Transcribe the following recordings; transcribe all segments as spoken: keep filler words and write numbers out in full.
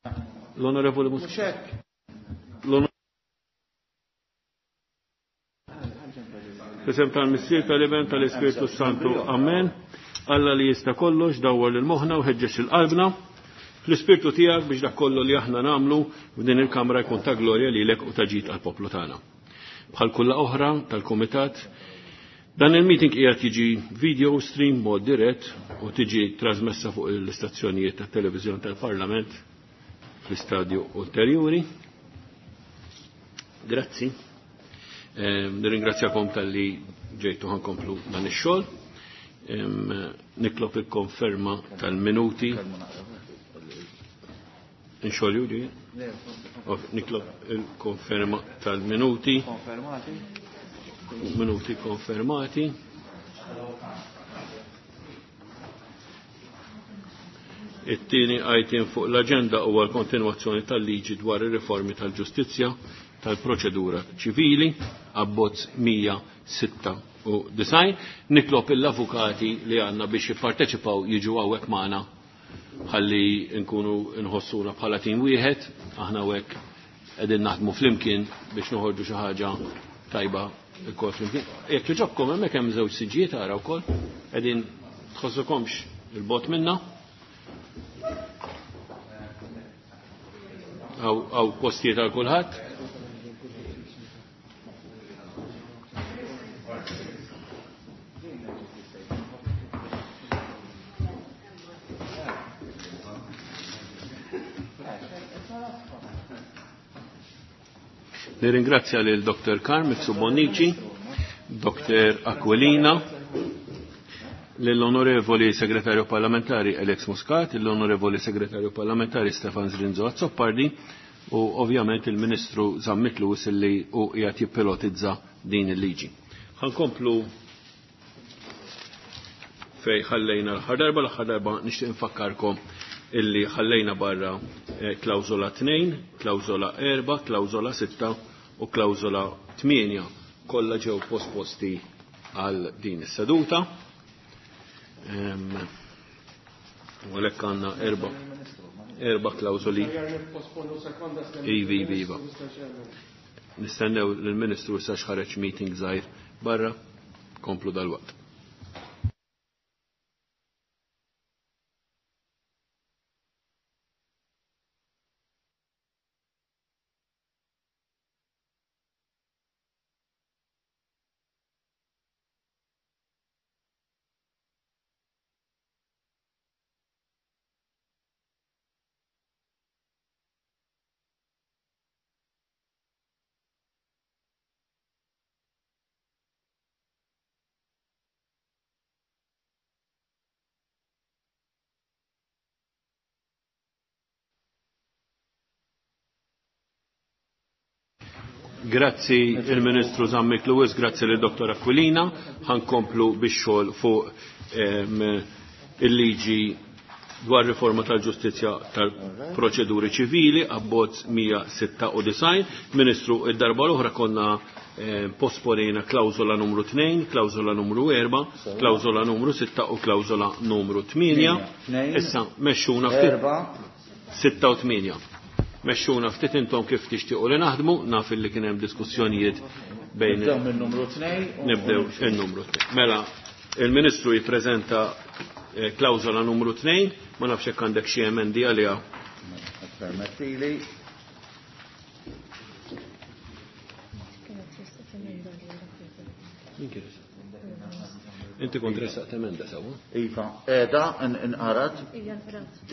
L-Onorevoli Muscat. F'isem tal-Missier, tal-Iben, tal-Ispirtu Santu. Amen. Alla li jista' kollox dawwar lil moħħna u ħeġġeġ il-qalbna fl-ispirtu tiegħek biex dak kollu li aħna nagħmlu f'din il-kamra jkun ta' glorja lilek u ta' ġid għall-poplu tagħna. Bħal kulla oħra tal-Kumitat, dan il-meeting qiegħed jiġi video stream mod dirett u tiġi trasmessa fuq l-istazzjonijiet tat-televiżjoni tal-Parlament fl-istadju ulterjuri. Grazzi. Nirringrazzjakom tal-li ġejtu ħankomplu dan ix-xogħol. Nitlob il-konferma tal-minuti. Inxolju ġi? Nitlob il-konferma tal-minuti. Minuti konfermati. It-tieni item fuq l-aġenda huwa l-kontinwazzjoni tal-liġi dwar ir-riformi tal-ġustizzja tal-proċedura ċivili, abbozz mija sitta u disgħin. Nitlob l-avukati li għandna biex jipparteċipaw jiġu hawnhekk magħna ħalli nkunu nħossuna bħala tim wieħed, aħna hawnhekk qegħdin naħdmu flimkien biex noħorġu xi ħaġa tajba lkoll flimkien. Jekk jogħġobkom hemmhekk hemm żewġ siġġijiet ara wkoll, qegħdin tħossukomx il-bot minna. Għaw postijiet għal kulħadd. Nirringrazzja lil Doktor Carm Bonnici, Doktor Aquilina, lill-Onorevoli Segretarju Parlamentari Alex Muscat, l-Onorevoli Segretarju Parlamentari Stefan Zrinzo Azzopardi u ovvjament il-Ministru Zammit Lewis li u qiegħed jippilotizza din il-liġi. Ħankomplu fej ħallejna l-aħħar darba, l-aħħar darba nixtieq infakkarkom illi ħallejna barra klawżola tnejn, klawżola erba', klawżola sitta u klawżola tmienja. Kollha ġew posposti għal din is-seduta. U għalhekk għandna erba' erba' klawżoli. Ivi, ivi, iva. Nistennew lill-Ministru issa x'ħareġ meeting żgħir barra, komplu dal-waqt. Grazzi il-Ministru Zammit Lewis, grazzi lil Doktor Aquilina. Ħankomplu bix-xogħol fuq il-liġi dwar riforma tal-ġustizzja tal-proċeduri ċivili, abbozz mija sitta u disgħin. Ministru, id-darba l-oħra konna posponejna klawżola numru tnejn, klawżola numru erba', klawżola numru sitta u klawżola numru tmienja. Issa mexxuna ftit sitta u tmienja. Mexxuna ftit intom kif tixtiequ li naħdmu, naf li kien hemm diskussjonijiet bejn Nibdew min-numru tnejn. Nibdew in-numru tnejn. Mela, il-Ministru jippreżenta klawżola numru tnejn, ma nafx hekk għandek xi emendi għaliha. Permettili. Inti kont ressaqt emenda sewwa? Iva, qiegħda inqarat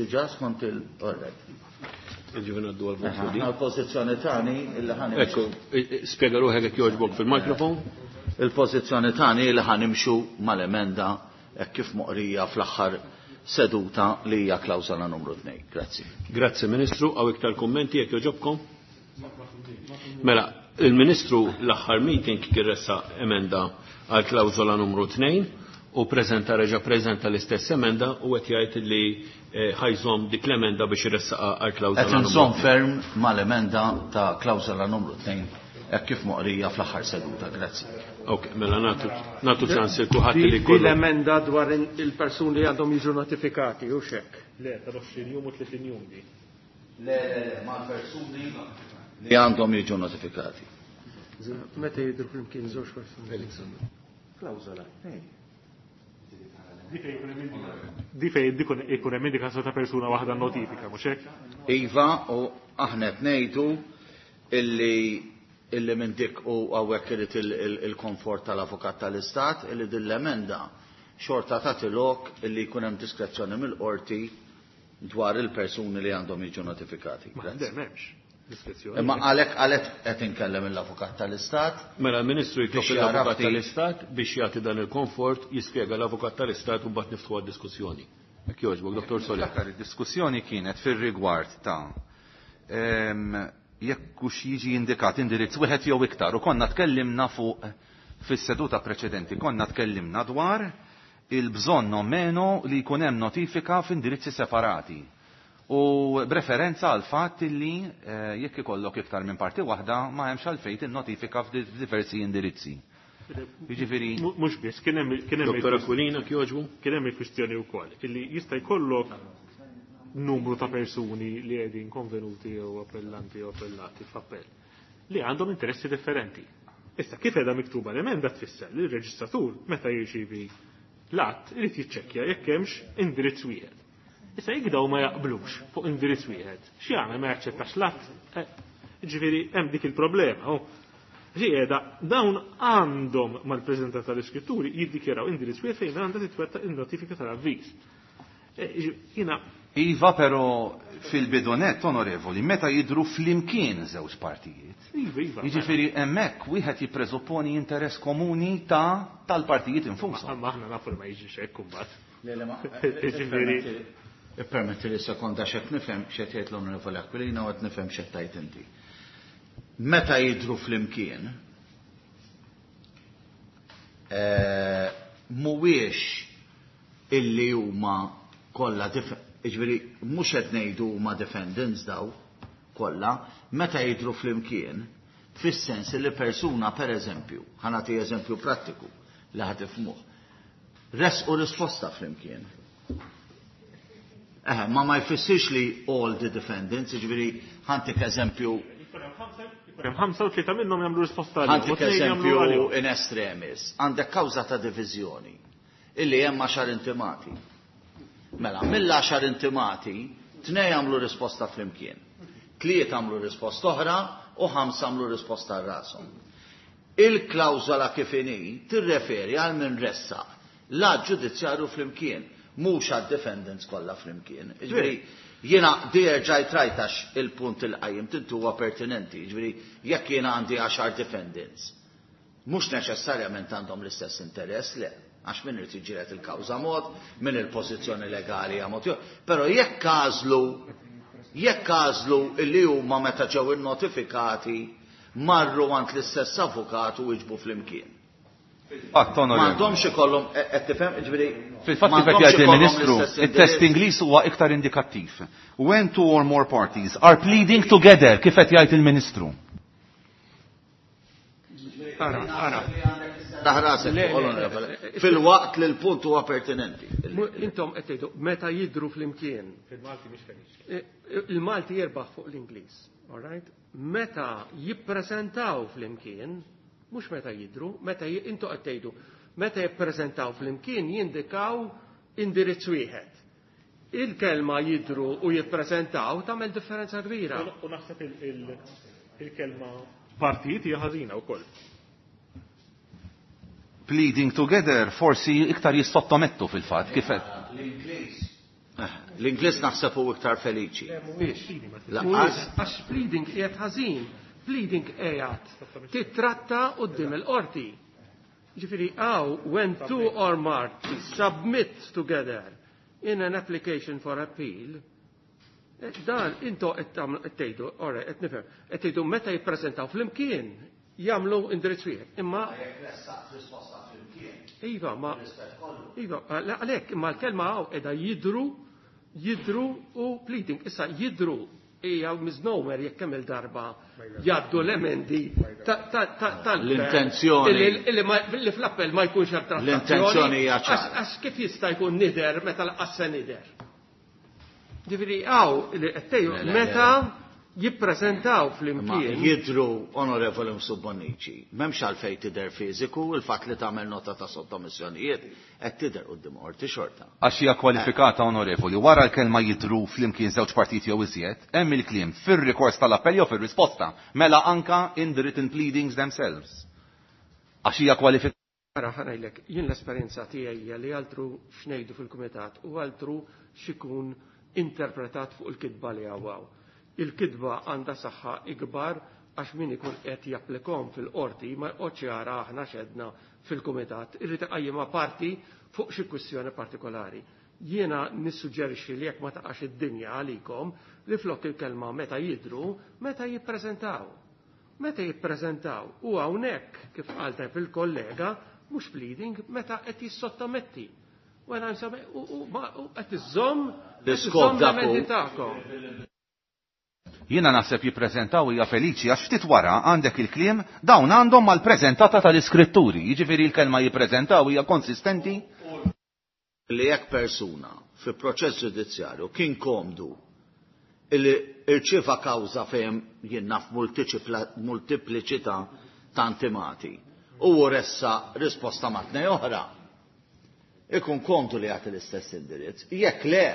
diġà skont il-orret. Ġivin għaddu għal-vot. Għal-pozizjoni tani illi ħan. Ekku, spiega ruħek jekk jogħġbok fil-mikrofon. Il-pozizjoni tani illi ħanimxu mal-emenda hekk kif moqrija fl-aħħar seduta li hija klawżola numru tnejn. Grazzi. Grazzi Ministru, għaw iktar kummenti jekk jogħġobkom? Mela, il-Ministru l-aħħar meeting kien ressaq emenda għal klawżola numru tnejn u preżenta reġa' preżenta l-istess emenda u qed jgħid li ħajżomm dik l-emenda biex iressaqha għal klawżola Qed inżomm ferm mal-emenda ta' klawżola numru tnejn hekk kif moqrija fl-aħħar seduta. Grazzi. Ok, mela nagħtu nagħtu ċans il kulħadd li jkollu. L-emenda dwar il-persuni li għandhom jiġu notifikati u xek. Le, tal-għoxrin jum u tletin jum di. Le, le, le, mal-persuni li għandhom jiġu notifikati. Meta jidhru flimkien żewġ persuni. Klawżola. Di fejn ikun hemm indikazzjoni ta' persuna waħda notifika, mhux hekk? Iva, u aħna qed ngħidu illi illi minn dik u hawnhekk irid il-komfort tal-avukat tal-Istat illi din l-emenda xorta tagħti lok illi jkun hemm diskrezzjoni mill-qorti dwar il-persuni li għandhom jiġu notifikati. Ma m'hemmx diskrezzjoni. Imma għalhekk għalhekk qed inkellem l-avukat tal-Istat. Mela l-Ministru jitlob l-avukat tal-Istat biex jagħti dan il-komfort, jispjega l-avukat tal-Istat u mbagħad niftħu għad-diskussjoni. Hekk jogħġbok, Dottor Soler. Niftakar id-diskussjoni kienet fir-rigward ta' jekk hux jiġi indikat indirizz wieħed jew iktar u konna tkellimna fuq fis-seduta preċedenti, konna tkellimna dwar il-bżonn o meno li jkun hemm notifika f'indirizzi separati. U b'referenza għal fatt li jekk ikollok iktar minn parti waħda ma hemmx għalfejn in-notifika f'diversi indirizzi. Jiġifieri mhux biss kien hemm kien hemm Dottor Aquilina jogħġbu? Kien hemm il-kwistjoni wkoll illi jista' jkollok numru ta' persuni li qegħdin konvenuti jew appellanti jew appellati f'appell li għandhom interessi differenti. Issa kif qiegħda miktuba l-emenda tfisser li r-reġistratur meta jirċievi l-att irid jiċċekkja jekk hemmx indirizz wieħed. Issa jekk daw ma jaqblux fuq indirizz wieħed, x'jagħmel ma jaċċettax l-att? Ġifieri hemm dik il-problema. Ġieda dawn għandhom mal-preżentata tal-iskritturi jiddikjaraw indirizz wieħed fejn għandha titwettaq in-notifika tal-avviż. Jiena Iva, però fil-bidonet, onorevoli, meta jidru flimkien żewġ partijiet. Iva, iva. Jiġifieri hemmhekk wieħed jippreżupponi interess komuni ta' tal-partijiet infushom. Ma aħna nafu li ma jiġix hekk imbagħad. Le, le, ma. Jiġifieri Ippermetti li sekonda x'qed nifhem x'qed jgħid l-Onorevoli Aquilina u qed nifhem x'qed tgħid inti. Meta jidru flimkien, mhuwiex illi huma kollha jiġifieri mhux qed ngħidu huma defendants daw kollha, meta jidru flimkien, fis-sens li persuna pereżempju, ħa nagħti eżempju prattiku li ħa tifhmuh, resqu risposta flimkien. Eħe, ma ma jfissirx li all the defendants, jiġifieri ħantik eżempju. Hemm ħamsa u tlieta minnhom jagħmlu risposta għalihom. Ħantik eżempju in extremis, għandek kawża ta' diviżjoni illi hemm għaxar intimati. Mela, mill-għaxar intimati, tnej għamlu risposta flimkien. Tliet għamlu risposta oħra u ħamsa għamlu risposta għal rashom. Il-klawżola kif inhi tirreferi għal min ressaq l-att ġudizzjarju flimkien, mhux għad-defendants kollha flimkien. Jiġifieri jiena erġajt rajt għax il-punt il qajjim tintu huwa pertinenti, jiġifieri jekk jiena għandi għaxar defendants, mhux neċessarjament għandhom l-istess interess, le, għax min irid jiġġieled il-kawża mod, min il-pożizzjoni legali hija mod, però jekk għażlu jekk għażlu illi huma meta ġew innotifikati marru għand l-istess avukat u jiġbu flimkien. Fatt, onorevoli. M'għandhomx ikollhom, qed tifhem, jiġifieri Fil-fatt kif qed jgħid il-Ministru, it-test Ingliż huwa iktar indikattiv. When two or more parties are pleading together, kif qed jgħid il-Ministru. Ara, ara. Taħrasek, fil-waqt li l-punt huwa pertinenti. Intom qed tgħidu meta jidru flimkien. Fil-Malti mhix feliċi. Il-Malti jirbaħ fuq l-Ingliż, all right? Meta jippreżentaw flimkien, mhux meta jidru, meta intom qed tgħidu, meta jippreżentaw flimkien jindikaw indirizz wieħed. Il-kelma jidru u jippreżentaw tagħmel differenza kbira. U naħseb il-kelma partijiet hija ħażina wkoll. Pleading together forsi iktar jissottomettu fil-fatt kif qed. L-Ingliż. L-Ingliż naħseb hu iktar feliċi. Mhuwiex. Mhuwiex, għax pleading qiegħed ħażin. Pleading qiegħed titratta quddiem il-qorti. Ġifieri hawn when two or more submit together in an application for appeal, dan into qed tgħidu, ora qed nifhem, qed tgħidu meta jippreżentaw flimkien jagħmlu indirizz wieħed. Imma Iva, ma Iva, għalhekk imma l-kelma hawn qiegħda jidru, jidru u pleading. Issa jidru hija misnomer jekk kemm il-darba jgħaddu l-emendi tal L-intenzjoni. Li fl-appell ma jkunx hemm trattazzjoni. L-intenzjoni hija ċara. Għax kif jista' jkun nider meta lanqas se nider. Ġifieri hawn li qed tgħidu meta jippreżentaw flimkien. Jidru, Onorevoli Mifsud Bonnici, m'hemmx għalfejn tidher fiżiku, il-fatt li tagħmel nota ta' sottomissjonijiet qed tidher quddiem qorti xorta. Għax hija kwalifikata, Onorevoli, wara l-kelma jidru flimkien żewġ partiti jew iżjed, hemm il-kliem fir-rikors tal-appell jew fir-risposta, mela anka in the written pleadings themselves. Għax hija kwalifikata. Ara ħa ngħidlek, jien l-esperjenza tiegħi hija li altru x'ngħidu fil-kumitat u altru x'ikun interpretat fuq il-kitba li hawn. Il-kitba għandha saħħa ikbar għax min ikun qed japplikom fil-qorti ma jqgħodx jara aħna x'għedna fil-kumitat, irrid iqajjimha parti fuq xi kwistjoni partikolari. Jiena nissuġġerixxi li jekk ma taqax id-dinja għalikom li flok il-kelma meta jidru, meta jippreżentaw. Meta jippreżentaw u hawnhekk kif qal tajb il-kollega mhux pleading meta qed jissottometti. U qed iżomm l-iskop l-emendi tagħkom. Jiena naħseb jippreżentaw hija feliċi għax ftit wara għandek il-kliem dawn għandhom mal-preżentata tal-iskritturi, jiġifieri l-kelma jippreżentaw hija konsistenti. Li jekk persuna fi proċess ġudizzjarju kien komdu illi irċieva kawża fejn jien naf multipliċità ta' intimati u ressa risposta ma' tnej oħra, ikun komdu li jagħti l-istess indirizz. Jekk le,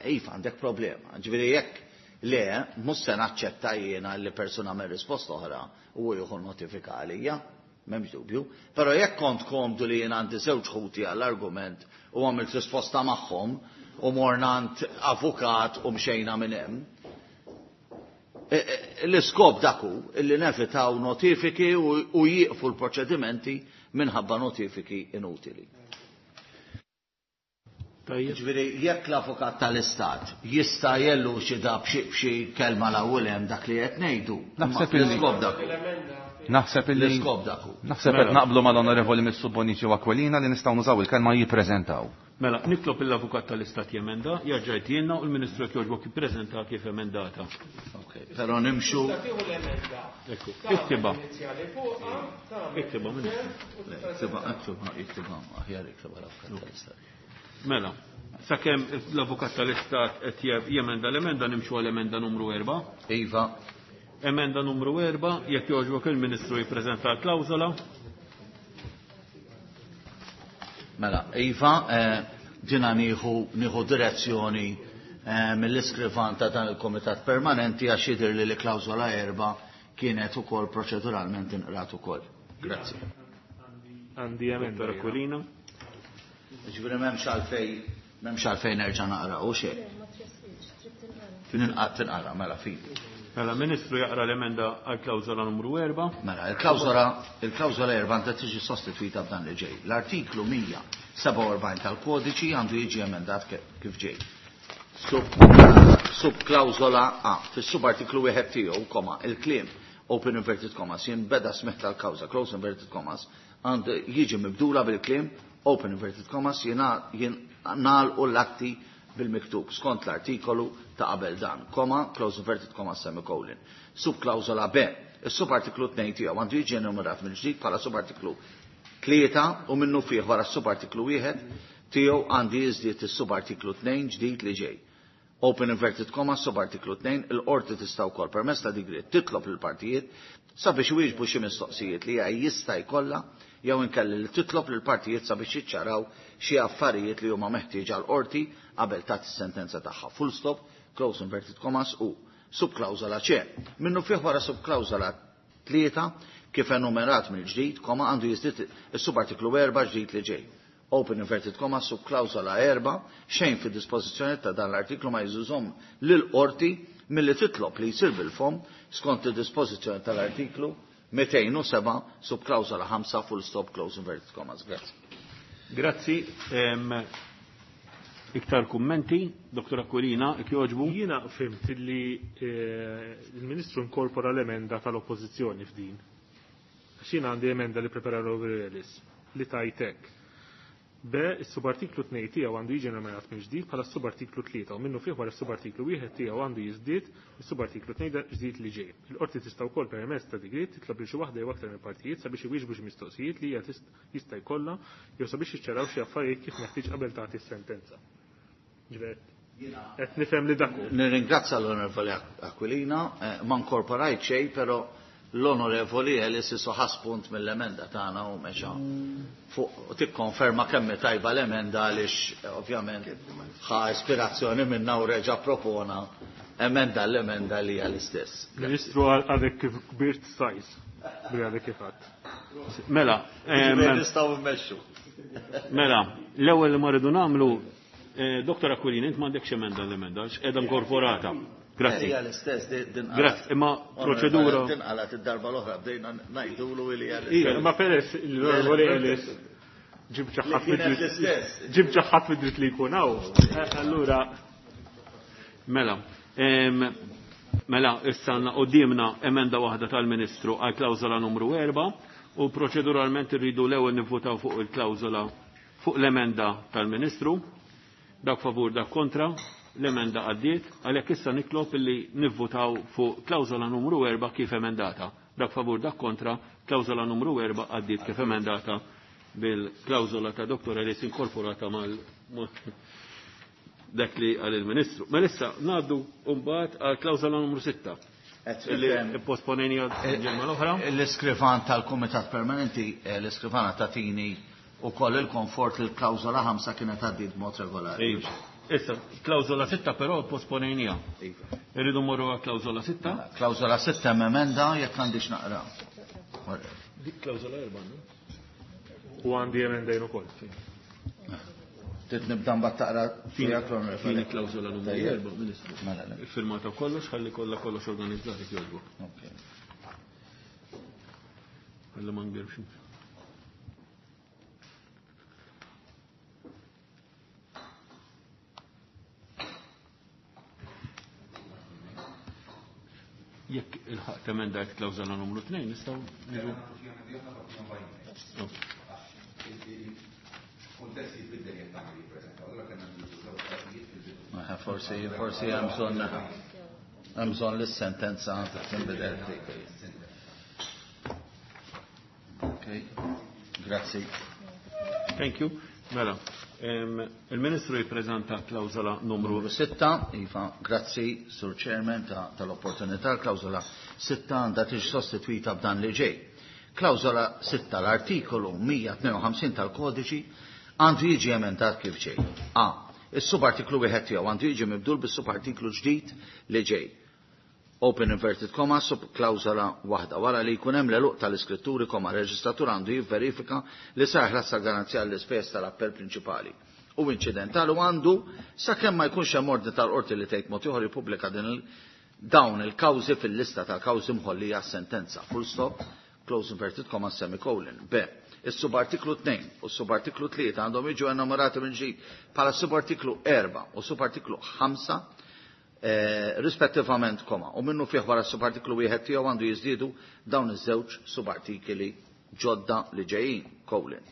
iva għandek problema. Ġifieri jekk le, mhux se naċċetta jiena li persuna minn risposta oħra u jieħu notifika għalija, m'hemmx dubju. Però jekk kont komdu li jien għandi żewġ ħuti għall-argument u għamilt risposta magħhom u morna għand avukat u mxejna minn hemm, l-iskop daku illi nevitaw notifiki u jieqfu l-proċedimenti minħabba notifiki inutili. Ġifieri jekk l-avukat tal-Istat jista' jellu xi da b'xi kelma l-ewwel hemm dak li qed ngħidu. Naħseb illi l-iskop daku. Naħseb illi l-iskop daku. Naħseb qed naqblu mal-Onorevoli Mifsud Bonnici u Aquilina li nistgħu nużaw il-kelma jippreżentaw. Mela, nitlob l-avukat tal-Istat jemenda, jarġa' jtielna u l-Ministru jekk jogħġbok jippreżenta kif emendata. Ok, però nimxu. Ekku, iktiba. Iktiba, Ministru. Iktiba, iktiba, iktiba, aħjar iktiba l-avukat tal-Istat. Mela, sakemm l-avukat tal-Istat qed jemenda l-emenda nimxu għal emenda numru erba'. Iva. Emenda numru erba', jekk jogħġbok il-Ministru jippreżenta l-klawżola. Mela, iva, dina nieħu nieħu direzzjoni mill-iskrivan ta' dan il-Komitat Permanenti għax jidher li l-klawżola erba' kienet ukoll proċeduralment inqrat ukoll. Grazzi. Għandi emenda. Dottor Aquilina. Ġifieri m'hemmx għalfejn, m'hemmx għalfejn nerġa' naqra u xejn. Tinqara, tinqara, mela fidi. Mela, Ministru jaqra l-emenda għal klawżola numru erba'. Mela, il-klawżola, il-klawżola erba' għandha tiġi sostitwita b'dan li ġej. L-artiklu mija sebgħa u erbgħin tal-kodiċi għandu jiġi emendat kif ġej. Sub, sub klawżola A, fis-subartiklu wieħed tiegħu, koma, il-kliem open inverted commas jinbeda smigħ tal-kawża, close inverted commas, għandu jiġi mibdula bil-kliem open inverted commas jingħalqu l-atti bil-miktub skont l-artikolu ta' qabel dan, koma, close inverted commas, semicolon. Subklawżola B, is-subartiklu tnejn tiegħu għandu jiġi enumerat mill-ġdid bħala subartiklu tlieta u minnu fih wara s-subartiklu wieħed tiegħu għandu jiżdied is-subartiklu tnejn ġdid li ġej. Open inverted comma, subartiklu tnejn, il-qorti tista' wkoll permezz ta' digriet titlob lill-partijiet sabiex iwieġbu xi mistoqsijiet li hija jista' jkollha jew inkelli li titlob lill-partijiet sabiex jiċċaraw xi affarijiet li huma meħtieġa l-qorti qabel tagħti s-sentenza tagħha. Full stop, close inverted commas u subklawżola C. Minnu fih wara subklawżola tlieta kif enumerat mill-ġdid, koma għandu jiżdied is-subartiklu erba' ġdid li ġej. Open inverted comma subklawżola erba' xejn fid-dispożizzjoni ta' dan l-artiklu ma jżużhom lill-qorti milli titlob li jsir bil-fom skont id-dispożizzjoni tal-artiklu mitejn u seba' subklawżola ħamsa full stop close inverted commas. Grazzi. Grazzi. Em, iktar kummenti, Doktor Aquilina, jekk jogħġbu? Jiena fhimt li, eh, il-Ministru inkorpora l-emenda tal-Oppożizzjoni f'din. Għax jiena għandi emenda li prepara l-Ellis li tajtek. B, is-subartiklu tnejn tiegħu għandu jiġi nominat minn ġdid bħala s-subartiklu tlieta u minnu fih wara s-subartiklu wieħed tiegħu għandu jiżdied is-subartiklu tnejn ġdid li ġej. Il-qorti tista' wkoll permezz ta' digriet titlob lil xi waħda jew aktar minn partijiet sabiex iwieġbu xi mistoqsijiet li hija tist-, jista' jkollha jew sabiex jiċċaraw xi affarijiet kif meħtieġ qabel tagħti s-sentenza. Ġifieri Qed nifhem li dak hu. Nirringrazza l-Onorevoli Aquilina, eh, ma nkorporajt xejn, però l-Onorevoli Ellis isu ħa spunt mill-emenda tagħna u mexa fuq tikkonferma kemm hi tajba l-emenda għaliex eh, ovvjament ħa ispirazzjoni minna u reġa' propona emenda l-emenda li hija l-istess. Ministru għadek kif kbirt size. Bi għadek kif għadt. Mela, em, Nistgħu mmexxu. mela, l-ewwel li ma rridu nagħmlu, eh, Dottor Aquilina, int m'għandekx emenda l-emenda, għax qiegħda inkorporata. Grazzi. Hija l-istess din din Grazzi, imma proċedura. Din qalat id-darba l-oħra bdejna ngħidulu li hija Ija, l-istess. imma peress l-Onorevoli Ellis ġib ċaħat Li kienet l-istess. ġib ċaħat mid-dritt li jkun hawn. Eh, Allura Mela, em, mela, issa għandna qudiemna emenda waħda tal-Ministru għal klawżola numru erba' u proċeduralment irridu l-ewwel nivvutaw fuq il-klawżola fuq l-emenda tal-Ministru. Dak favur, dak kontra, l-emenda għaddiet, għalhekk issa nitlob illi nivvutaw fuq klawżola numru erba' kif emendata. Dak favur, dak kontra, klawżola numru erba' għaddiet kif emendata bil-klawżola ta' Dottor Ellis inkorporata mal dak li għal il-Ministru. Ma issa ngħaddu mbagħad għal klawżola numru sitta. Qed Illi nifhem. posponejni għal ġimgħa l-oħra. L-iskrivan tal-Kumitat Permanenti, eh, l-iskrivana tatini u koll il-komfort li l-klawżola ħamsa kienet għaddiet b'mod regolari. Iva. Issa, klawżola sitta però posponejnija. Iva. Irridu mmorru għal klawżola sitta. Klawżola sitta hemm emenda jekk għandix naqra. Dik klawżola erba' no? u għandi emendajn ukoll. Trid nibda mbagħad taqra tiegħek l-Onorevoli. Fini klawżola numru Tajjeb. erba', Ministru. Mela, le. Iffirmata kollox, ħalli kollha kollox organizzati jogħġbok. Ok. Ħalli ma ngirbx. Jekk il-ħaq temendajt klawżola numru tnejn, nistgħu niġu. Ok. Eh, Forsi forsi hemm bżonn hemm bżonn li s-sentenza tinbidel ftit. Ok. Grazzi. Thank you. Mela, em, il-Ministru jippreżenta klawżola numru Numru sitta, Iva, grazzi, Sur Chairman, ta' tal-opportunità. Klawżola sitta għandha tiġi sostituita b'dan li ġej. Klawżola sitta, l-artikolu mija tnejn u ħamsin tal-kodiċi għandu jiġi emendat kif ġej. A. Is-subartiklu wieħed tiegħu għandu jiġi mibdul bis-subartiklu ġdid li ġej. Open inverted comma sub klawżola waħda. Wara li jkun hemm l-għeluq tal-iskritturi koma reġistratur għandu jivverifika li sar ħlas tal-garanzija l-ispejjeż tal-appell prinċipali u inċidentali u għandu sakemm ma jkunx hemm ordni tal-qorti li tgħid mod ieħor jippubblika din il-, dawn il-kawżi fil-lista tal-kawżi mħollija sentenza. Full stop, close inverted comma semicolon. B. Is-subartiklu tnejn u s-subartiklu tlieta għandhom jiġu enumerati minn ġdid bħala subartiklu erba' u subartiklu ħamsa eh, rispettivament koma. U minnu fih wara s-subartiklu wieħed tiegħu għandu jiżdiedu dawn iż-żewġ subartikli ġodda li ġejjin, colon.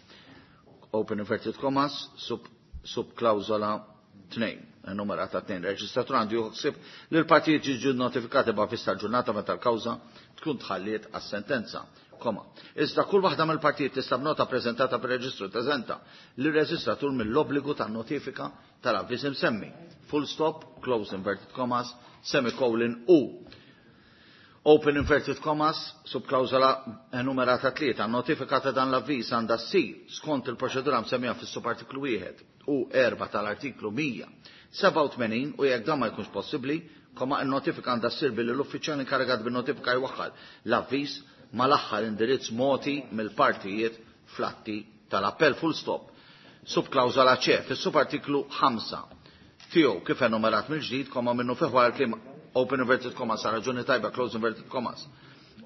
Open inverted commas, sub, subklawżola tnejn, enumerata tnejn. Reġistratur għandu juħsib li l-partijiet jiġu notifikati b'avviż tal-ġurnata meta l-kawża tkun tħalliet għas-sentenza. Koma. Iżda kull waħda mill-partijiet tista' b'nota preżentata per-reġistru teżenta lir-reġistratur mill-obbligu tan-notifika tal-avviż imsemmi. Full stop, close inverted commas, semicolon u open inverted commas, subklawżola enumerata tlieta, notifika ta' dan l-avviż għandha ssir skont il-proċedura msemmija fis-subartiklu wieħed u erba' tal-artiklu mija sebgħa u tmenin u jekk dan ma jkunx possibbli, koma n-notifika għandha ssir billi l-uffiċjal inkarigat bin-notifika jwaħħal l-avviż mal-aħħar indirizz moti mill-partijiet fl-atti tal-appell. Full stop. Subklawżola C fis-subartiklu ħamsa tiegħu kif enumerat mill-ġdid, koma minnu fih wara l-kliem open inverted commas sa raġuni tajba close inverted commas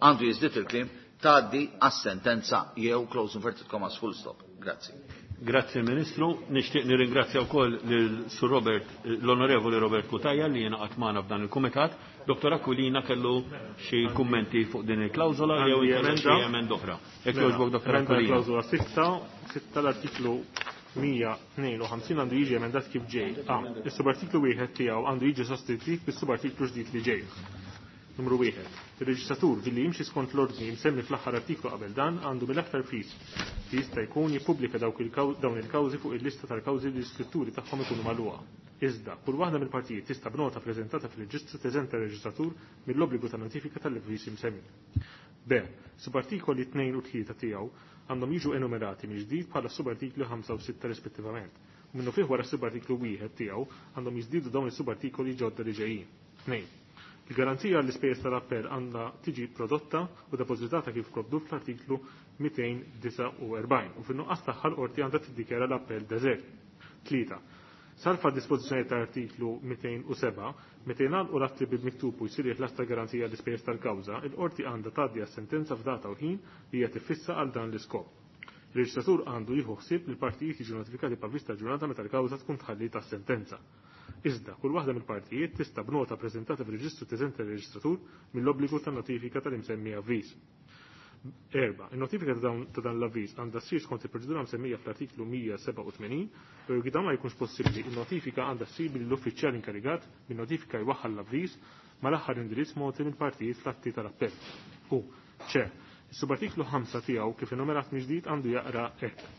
għandu jiżdied il-kliem tgħaddi għas-sentenza jew close inverted commas full stop. Grazzi. Grazzi Ministru, nixtieq nirringrazzja wkoll lil Sur Robert, l-Onorevoli Robert Cutajar li jingħaqad magħna f'dan il-kumitat. Dottor Aquilina kellu xi kummenti fuq din il-klawżola jew Għandi inkella xi emenda. emenda oħra. Jekk Mela, jogħġbok Dottor emenda Aquilina. Klawżola sitta, sitta l-artiklu mija tnejn u ħamsin għandu jiġi emendat kif ġej. A. Is-subartiklu wieħed tiegħu għandu jiġi sostituit bis-subartiklu ġdid li ġej. Numru wieħed. Il-reġistratur billi jimxi skont l-ordni msemmi fl-aħħar artiklu qabel dan għandu mill-aktar fis li jista' jkun jippubblika dawk il-kaw-, dawn il-kawżi fuq il-lista tal-kawżi li l-iskritturi tagħhom ikunu magħluqa. Iżda, kull waħda mill-partijiet tista' b'nota preżentata fil-reġistru teżenta r-reġistratur mill-obbligu ta' notifika tal-avviż imsemmi. B. Subartikoli tnejn u tlieta tiegħu għandhom jiġu enumerati mill-ġdid bħala subartikli ħamsa u sitta rispettivament. U minnu fih wara subartiklu wieħed tiegħu għandhom jiżdiedu dawn is-subartikoli ġodda li ġejjin. Tnejn. Il-garanzija għall-ispejjeż tal-appell għandha tiġi prodotta u depożitata kif provdut fl-artiklu mitejn disgħa u erbgħin u fin-nuqqas tagħha l-qorti għandha tiddikjara l-appell deżert. Tlieta. Salfa dispożizzjoni ta' artiklu mitejn u seba', meta jingħalqu l-atti bil-miktub u jsir il-ħlas ta' garanzija għall-ispejjeż tal-kawża, il-qorti għandha tgħaddi għas-sentenza f'data u ħin li hija tiffissa għal dan l-iskop. Il-reġistratur għandu jieħu ħsieb li l-partijiet jiġu notifikati b'avviż ta' ġurnata meta l-kawża tkun tħalliet għas-sentenza. Iżda, kull waħda mill-partijiet tista' b'nota preżentata fir-reġistru teżenta r-reġistratur mill-obbligu ta' notifika tal-imsemmi avviż. Erba, il-notifika ta' dawn, ta' dan l-avviż għandha ssir skont il-proċedura msemmija fl-artiklu mija seba' u tmenin, u jekk dan ma jkunx possibbli, il-notifika għandha ssir mill-uffiċjal inkarigat bin-notifika jwaħħal l-avviż mal-aħħar indirizz mogħti mill-partijiet fl-atti tal-appell. U ċe, is-subartiklu ħamsa tiegħu kif enumerat mill-ġdid għandu jaqra hekk.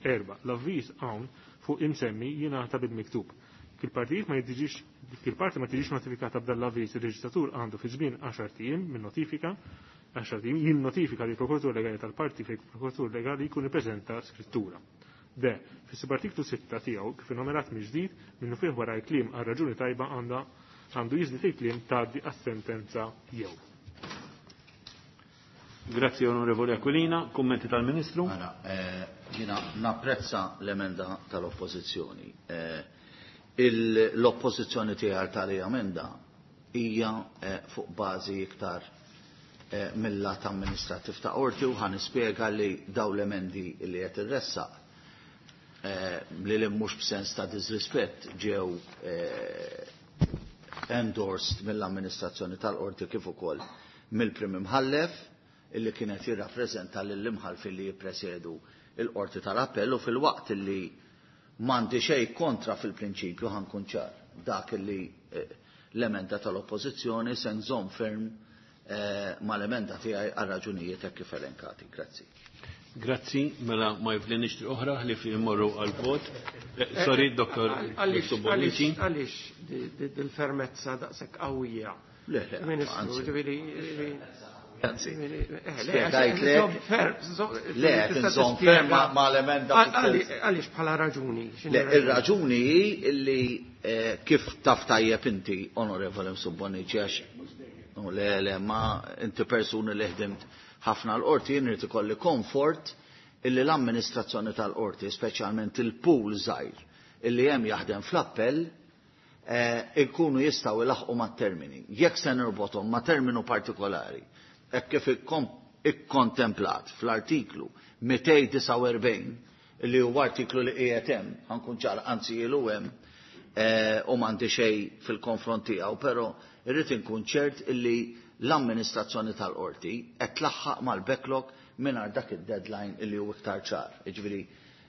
Erba, l-avviż hawn fuq imsemmi jingħata bil-miktub. Kil-partijiet ma jtiġix, kil-parti ma tiġix notifikata b'dan l-avviż, il-reġistratur għandu fi żmien għaxar ijiem minn notifika, għaxar ijiem jinnotifika li prokuratur legali tal-parti fejn prokuratur legali jkun ippreżenta skrittura. D. Fis-subartiklu sitta tiegħu kif innomerat mill-ġdid minnu fih wara l-kliem għal raġuni tajba għandha għandu jiżdied il-kliem tgħaddi għas-sentenza jew. Grazzi Onorevoli Aquilina, kummenti tal-Ministru. Mela, eh, jiena napprezza l-emenda tal-Oppożizzjoni. Eh, l-oppożizzjoni tiegħi tal-emenda hija, eh, fuq bażi iktar, eh, mill-lat amministrattiv ta' qorti u ħa nispjega li daw l-emendi li qed irressaq, eh, li li mhux b'sens ta' disrispett ġew, eh, endorsed mill-amministrazzjoni tal-qorti kif ukoll mill-Prim Imħallef illi kienet jirrappreżenta lill-imħallfin li jippresjedu il-qorti tal-appell u fil-waqt illi m'għandi xejn kontra fil-prinċipju ħankun ċar dak illi, eh, l-emenda tal-oppożizzjoni se nżomm ferm, eh, mal-emenda tiegħi għal raġunijiet hekk kif elenkati. Grazzi. Grazzi, mela ma jiflinix triq oħra li fi immorru għal-vot. Eh, sorry, doktor Għaliex, Bonnici. għaliex di-, di-, dil-fermezza daqshekk qawwija? Le, le, Ministru, anzi. ġifieri, ġifieri, Anzi, ġifieri, eh, le, spjegajt għax lek. nżomm ferm, nżomm, Le, tista' tinżomm tispjega. ferm ma-, ma' l-emenda Għal-, fil-sens. għaliex, għaliex bħala raġuni? X'inhi Le, raġuni? ir-raġuni hi illi, eh, kif taf tajjeb inti, Onorevoli Msubbonici, għax no, le, le, ma inti persuni li ħdimt ħafna l-qorti, jien irid ikolli komfort illi l-amministrazzjoni tal-qorti, speċjalment il-pool żgħir illi hemm jaħdem fl-appell, eh, ikunu jistgħu ilaħqu mat-termini. Jekk se nirbothom ma' terminu partikolari, hekk kif ikkom-, ikkontemplat fl-artiklu mitejn disgħa u erbgħin, li huwa artiklu li qiegħed hemm, ħankun ċar, anzi ilu hemm, eh, u m'għandi xejn fil-konfront tiegħu, però irrid inkun ċert illi l-amministrazzjoni tal-qorti qed tlaħħaq mal-backlog mingħajr dak id-deadline illi hu iktar ċar. Jiġifieri,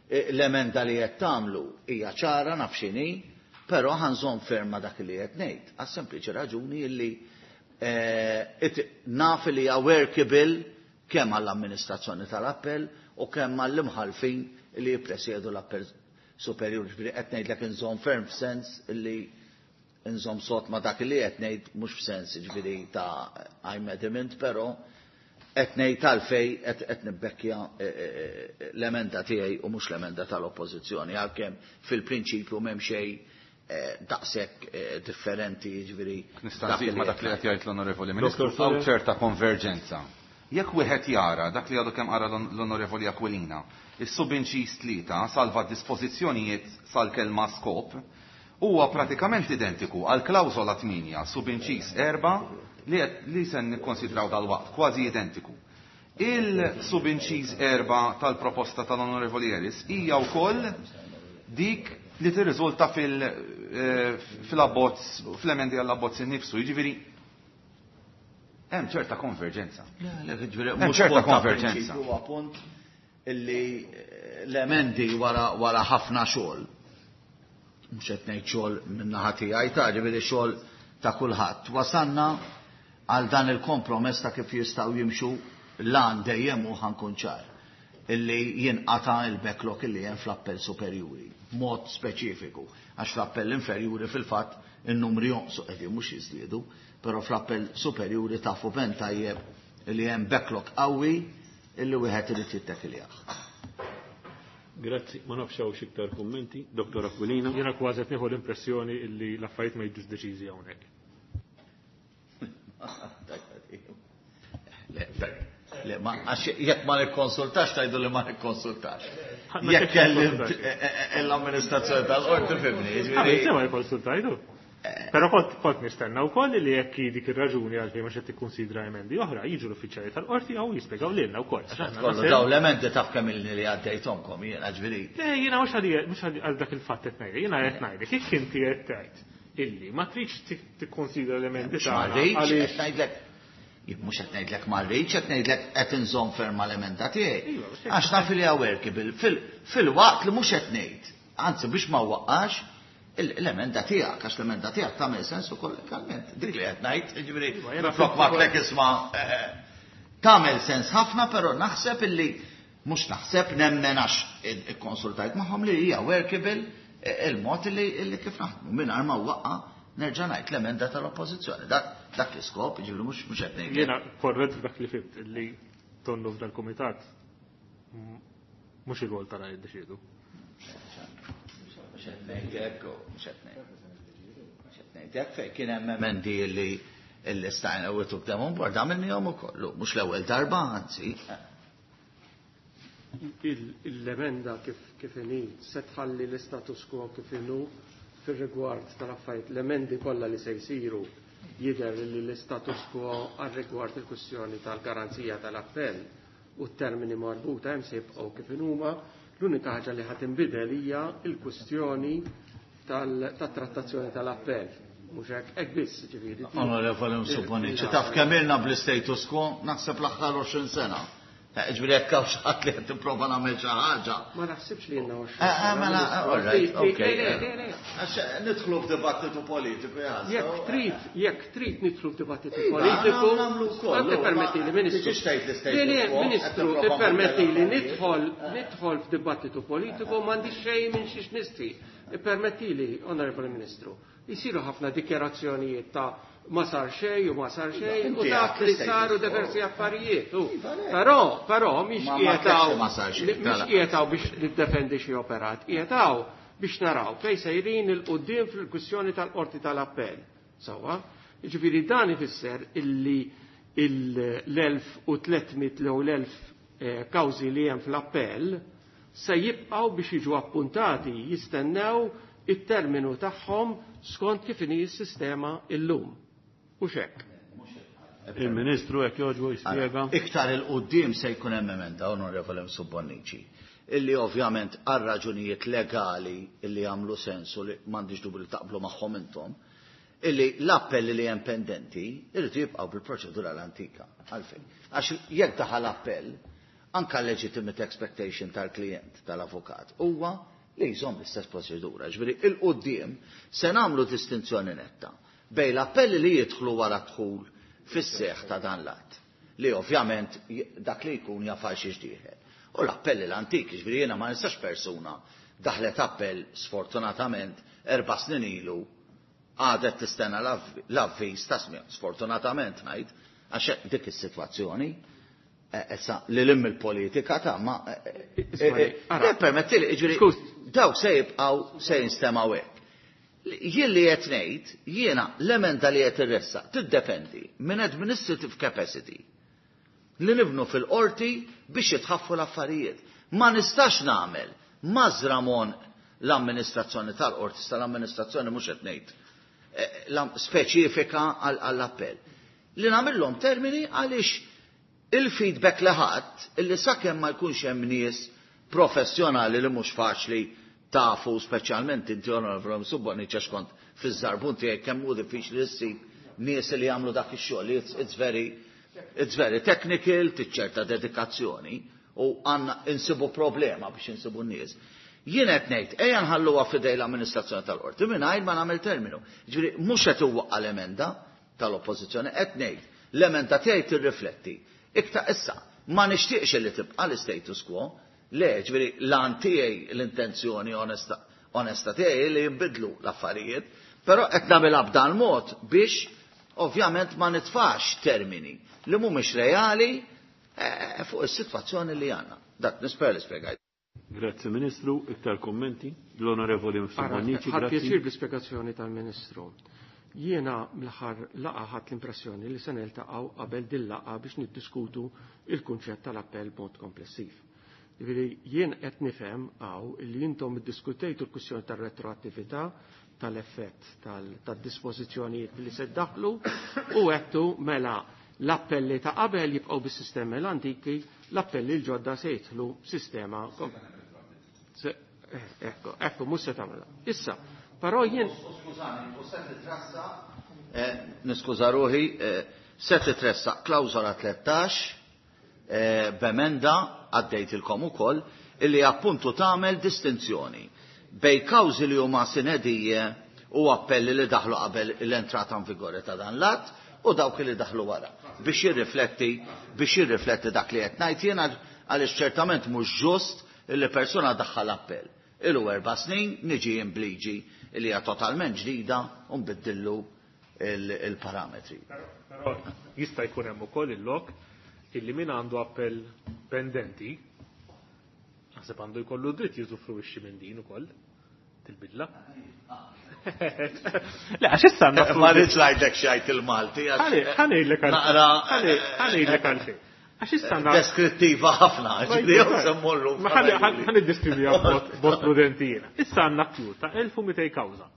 eh, l-emenda li qed tagħmlu hija ċara naf x'inhi, però ħanżomm ferma dak li qed ngħid, għas-sempliċi raġuni illi, eh, it-, naf li hija workable kemm għall-amministrazzjoni tal-appell u kemm għall-imħalfin li jippresjedu l-appell superjur. Ġifieri qed ngħidlek inżomm ferm f'sens illi inżomm sod ma' dak li qed ngħid, mhux f'sens ġifieri ta' I'm adamant, però qed ngħid għalfej qed, qed nibbekkja, eh, eh, eh, l-emenda tiegħi u mhux l-emenda tal-Oppożizzjoni, għalkemm fil-prinċipju m'hemm xejn, eh, daqshekk, eh, differenti, jiġifieri Nista' dak nżid li ma' dak li qed qed jgħid l-Onorevoli Ministru, Doktor hawn Fuller. ċerta konverġenza. Jekk wieħed jara dak li għadu kemm qara l-on-, l-Onorevoli Aquilina, is-subinċis tlieta salva dispożizzjonijiet sal-kelma skop, huwa pratikament identiku għal klawżola tmienja subinċis erba' li qed, li se nikkonsidraw dal-waqt, kważi identiku. Il-subinċis erba' tal-proposta tal-Onorevoli Harris hija wkoll dik li tirriżulta fil-, eh, fil-abbozz, fl-emendi għall-abbozz innifsu, jiġifieri hemm ċerta konverġenza. Le, le, ġifieri, Hemm mhux ċerta punt ta' konverġenza. prinċipju, huwa punt illi, eh, l-emendi wara, wara ħafna xogħol. Mhux qed ngħid xogħol min-naħa tiegħi ta' ġifieri xogħol ta' kulħadd. Wasanna għal dan il-kompromess ta' kif jistgħu jimxu l-għan dejjem u ħankun ċar. illi jinqata il-backlog illi hemm fl-appell superjuri, b'mod speċifiku, għax fl-appell inferjuri fil-fatt in-numri jonqsu qegħdin mhux jiżdiedu, però fl-appell superjuri tafu ben tajjeb illi hemm backlog qawwi illi wieħed irid jittekiljah. Grazzi, ma nafx hawn iktar kummenti. Dottor Aquilina. Jiena kważi qed nieħu l-impressjoni illi l-affarijiet ma jiġux deċiżi hawnhekk. Le, ma għax jekk ma nikkonsultax tgħidu li ma nikkonsultax. Jekk kellimt l-amministrazzjoni tal-qorti fimni, jiġifieri. Ma jikkonsultajdu. Però kont kont nistenna wkoll li jekk dik ir-raġuni għalfejn ma xed tikkunsidra emendi oħra, jiġu l-uffiċjali tal-qorti jew jispjegaw lilna wkoll. Kollu daw l-emendi taf kemm ilni li għaddejthomkom jiena ġifieri. Le, jiena mhux għalija mhux għal dak il-fatt qed ngħidlek, jiena qed ngħidlek jekk inti qed tgħid illi ma tridx tikkonsidra l-emendi tagħna. Għaliex ngħidlek jien mhux qed ngħidlek ma rridx, qed ngħidlek qed inżomm ferma l-emenda tiegħi. Għax naf li workable fil-waqt li mhux qed ngħid, anzi biex ma waqqax l-emenda tiegħek, għax l-emenda tiegħek tagħmel sens ukoll legalment. Dik li qed ngħid, jiġifieri flok ma tlek isma' tagħmel sens ħafna, però naħseb illi mhux naħseb nemmen għax ikkonsultajt magħhom li hija workable il-mod illi kif naħdmu mingħajr ma waqqa' nerġa' ngħid l-emenda tal-oppożizzjoni. Dak dak l-iskop, jiġifieri mhux mhux qed ngħid. Jiena korrett f'dak li fimt illi tonnu f'dal-kumitat mhux il-rwol tagħna jiddeċiedu. Mhux qed ngħidlek, mhux qed ngħidlek fejn kien hemm emendi li li stajna u took them on board, għamilnihom ukoll, mhux l-ewwel darba anzi. L-emenda kif kif inhi se tħalli l-istatus quo kif inhu fir-rigward tal-affarijiet, l-emendi kollha li se jsiru jidher li l-istatus quo għar-rigward il-kwistjoni tal-garanzija tal-appell u t-termini marbuta hemm se jibqgħu kif inhuma. L-unika ħaġa li ħad tinbidel hija l-kwistjoni tat-trattazzjoni tal-appell. Mhux hekk hekk biss, ġifieri. Onorevoli Msubbonici, taf kemm ilna bl-istatus quo naħseb l-aħħar għoxrin sena. Ġifieri jekk hawn xi ħadd li qed tipprova nagħmel xi ħaġa. Ma naħsibx li ilna għoxrin sena. Mela, all right, okay. Għax nidħlu f'dibattitu politiku jaħseb. Jekk trid, jekk trid nidħlu f'dibattitu politiku, ippermettili Ministru. Ministru, ippermettili nidħol nidħol f'dibattitu politiku m'għandix xejn minn xiex nistri. Ippermettili, Onorevoli Ministru, jisiru ħafna dikjarazzjonijiet ta' ma sar xejn u ma sar xejn u dak li saru diversi affarijiet. Però, però mhix qiegħed mhix qiegħed biex niddefendi xi operat, qiegħed biex naraw fejn sejrin il quddiem fil-kwistjoni tal-qorti tal-appell. Sewwa, jiġifieri dan ifisser illi l-elf u tliet mitt jew l-elf kawżi li hemm fl-appell se jibqgħu biex jiġu appuntati jistennew it-terminu tagħhom skont kif inhi s-sistema illum. U xek. Il-Ministru jekk jogħġbu jispjega. Iktar il-qudiem se jkun hemm emenda, Onorevoli Msubbonici, illi ovvjament għal raġunijiet legali illi jagħmlu sensu li m'għandix dubju li taqblu magħhom intom, illi l-appelli li hemm pendenti irridu jibqgħu bil-proċedura l-antika. Għalfejn. Għax jekk daħal appell, anka legitimate expectation tal-klient, tal-avukat, huwa li jżomm l-istess proċedura. Ġifieri il-qudiem se nagħmlu distinzjoni netta bejn l-appelli li jidħlu wara dħul fis-seħħ ta' dan l-att, li ovvjament dak li jkun jafar xi ġdieħel. U l-appelli l-antiki, ġifieri jiena ma nistax persuna daħlet appell sfortunatament erba' snin ilu għadet tistenna l-avviż ta' smigħ, sfortunatament ngħid, għax dik is-sitwazzjoni issa li lim il-politika ta' ma permettili, ġifieri dawk se jibqgħu se jinstemgħu hekk. Jien li qed ngħid, jiena l-emenda li qed irressa tiddependi minn administrative capacity li nibnu fil-qorti biex jitħaffu l-affarijiet. Ma nistax nagħmel mażramon l-amministrazzjoni tal-qorti, tal-amministrazzjoni mhux qed ngħid speċifika għall-appell. Li nagħmilhom termini għaliex il-feedback li ħadd illi sakemm ma jkunx hemm nies professjonali li mhux faċli tafu speċjalment inti Onorevoli Msubbonici għax kont fiż-żarbun tiegħek kemm hu diffiċli ssib nies li jagħmlu dak ix-xogħol. It's, it's very it's very technical, tiċċerta dedikazzjoni u għandna insibu problema biex insibu n-nies. Jien qed ngħid ejja nħalluha f'idej l-amministrazzjoni tal-qorti mingħajr ma nagħmel terminu. Ġifieri mhux qed iwwaqqa' l-emenda tal-oppożizzjoni, qed ngħid l-emenda tiegħi tirrifletti. Iktar issa, Ma nixtieqx li tibqa' l-status quo, le, ġifieri l-għan tiegħi l-intenzjoni onesta onesta tiegħi li jinbidlu l-affarijiet, però qed nagħmilha b'dan mod biex ovvjament ma nitfax termini li mhumiex reali eh, fuq is-sitwazzjoni li għandna. Dak nisper li spjegajt. Grazzi Ministru, iktar kommenti. L-Onorevoli Mifsud Bonnici, Ħadd grazzi. pjaċir bl-ispjegazzjoni tal-Ministru. Jiena mill-aħħar laqgħa ħadt l-impressjoni li se niltaqgħu qabel din laqgħa biex niddiskutu il-kunċett tal-appell b'mod komplessiv. Jiġifieri jien qed nifhem hawn li intom iddiskutejtu l-kwistjoni tar-retroattività tal-effett tad-dispożizzjonijiet li se ddaħlu u għedtu mela l-appelli ta' qabel jibqgħu bis-sistemi l-antiki, l-appelli l-ġodda se jidħlu sistema Se- eh, Ekku, ekku, mhux se tagħmilha. Issa, però jien Skużani, u se titressa, eh, niskuża ruħi, eh, se titressa klawżola tlettax eh, b'emenda għaddejtilkom ukoll illi appuntu tagħmel distinzjoni bej kawżi li huma sine die u appelli li daħlu qabel l-entrata in vigore ta' dan l-att u dawk li daħlu wara biex jirrifletti biex jirrifletti dak li qed ngħid jiena għaliex ċertament mhux ġust illi persuna daħħal appell. Ilu erba' snin niġi imbliġi li hija totalment ġdida u nbiddillu il-parametri. Però jista' jkun hemm ukoll il-lok illi min għandu appell pendenti naħseb għandu jkollu dritt jużufruixxi minn din ukoll til-bidla. Le, għax issa għandna Ma rridx ngħidlek xajt il-Malti. għax- Ħa ngħidlek għal Naqra ħa ngħidlek għalfejn. Għax issa għandna deskrittiva ħafna, ġifieri jew se mmorru. Ma ħa niddeskriviha b'mod prudenti jiena. Issa għandna queue ta' elf u mitejn kawża.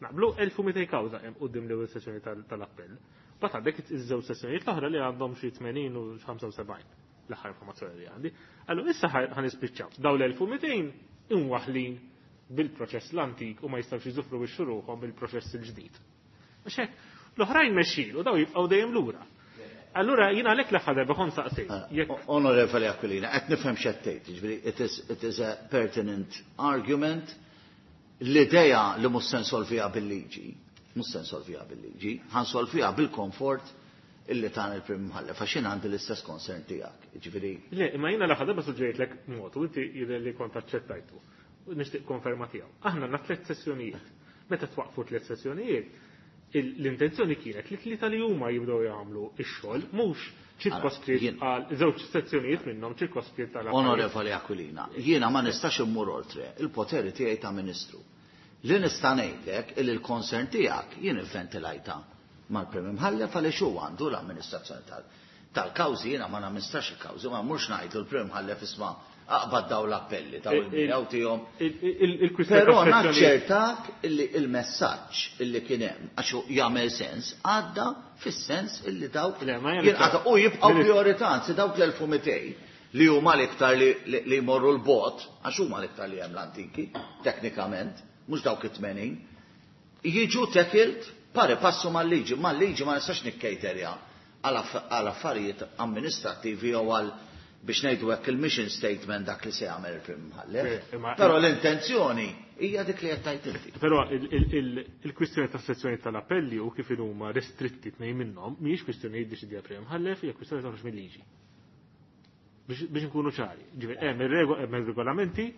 Naqblu elf u mitejn kawża hemm quddiem l-ewwel sessjoni tal-appell. Mbagħad għandek iż-żewġ sessjonijiet l-oħra li għandhom xi tmenin u ħamsa u sebgħin l-aħħar informazzjoni li għandi. Allura issa ħa nispiċċaw. Daw l-elf u mitejn imwaħlin bil-proċess l-antik u ma jistgħux jużufruwixxu ruħhom bil-proċess il-ġdid. Għax hekk, l-oħrajn mexxin u daw jibqgħu dejjem lura. Allura jiena għalhekk l-aħħar darba kont saqsejt. Jekk Onorevoli Aquilina, qed nifhem x'qed tgħid, jiġifieri it is it is a pertinent argument. L-idea li mhux se nsolviha bil-liġi, mhux se nsolviha bil-liġi, ħa nsolviha bil-komfort illi tan il-Prim Imħallef, għax jien għandi l-istess concern tiegħek. Jiġifieri Le, imma jiena l-aħħar darba suġġerejtlek mod u inti jidher li kont aċċettajtu. U nixtieq konferma tiegħu. Aħna għandna tliet sessjonijiet. Meta twaqfu tliet sessjonijiet, l-intenzjoni kienet li tlieta li huma jibdew jagħmlu x-xogħol mhux ċirkoskritt Jien- għal żewġ sezzjonijiet minnhom ċirkoskritt għal Onorevoli Aquilina, jiena ma nistax immur oltre il-poteri tiegħi ta' Ministru. Li nista' ngħidlek illi l-concern tiegħek jien ivventilajta mal-Prim Imħallef għaliex hu għandu l-amministrazzjoni tal- tal-kawżi, jiena ma namministrax il-kawżi, ma mhux ngħidu l-Prim Imħallef isma' aqbad daw l-appelli daw il-miegħu tiegħhom. Il-kwistjoni Però tas-sezzjonijiet naċċertak illi il-messaġġ illi kien hemm għax hu jagħmel sens għadda fis-sens illi dawk Le, ma jien jinqata' u jibqgħu Ministru. priorità, anzi dawk l-elf u mitejn li huma l-iktar li, li, li jmorru l-bot, għax huma l-iktar li hemm l-antiki, teknikament, mhux dawk it-tmenin, jiġu tackled pari passu mal-liġi, mal-liġi ma nistax nikkejterja għal aff- għal affarijiet amministrattivi jew għal biex ngħidu hekk il-mission statement dak li se jagħmel il-Prim Imħallef. Eh, imma- Però l-intenzjoni hija dik li qed tgħid inti. Però il- il- il- il-kwistjoni tas-sezzjoni tal-appelli u kif huma restritti tnejn minnhom mhijiex kwistjoni jiddeċidija Prim Imħallef, hija kwistjoni toħroġ mill-liġi. Biex biex nkunu ċari. Ġifieri hemm ir-rego- hemm ir-regolamenti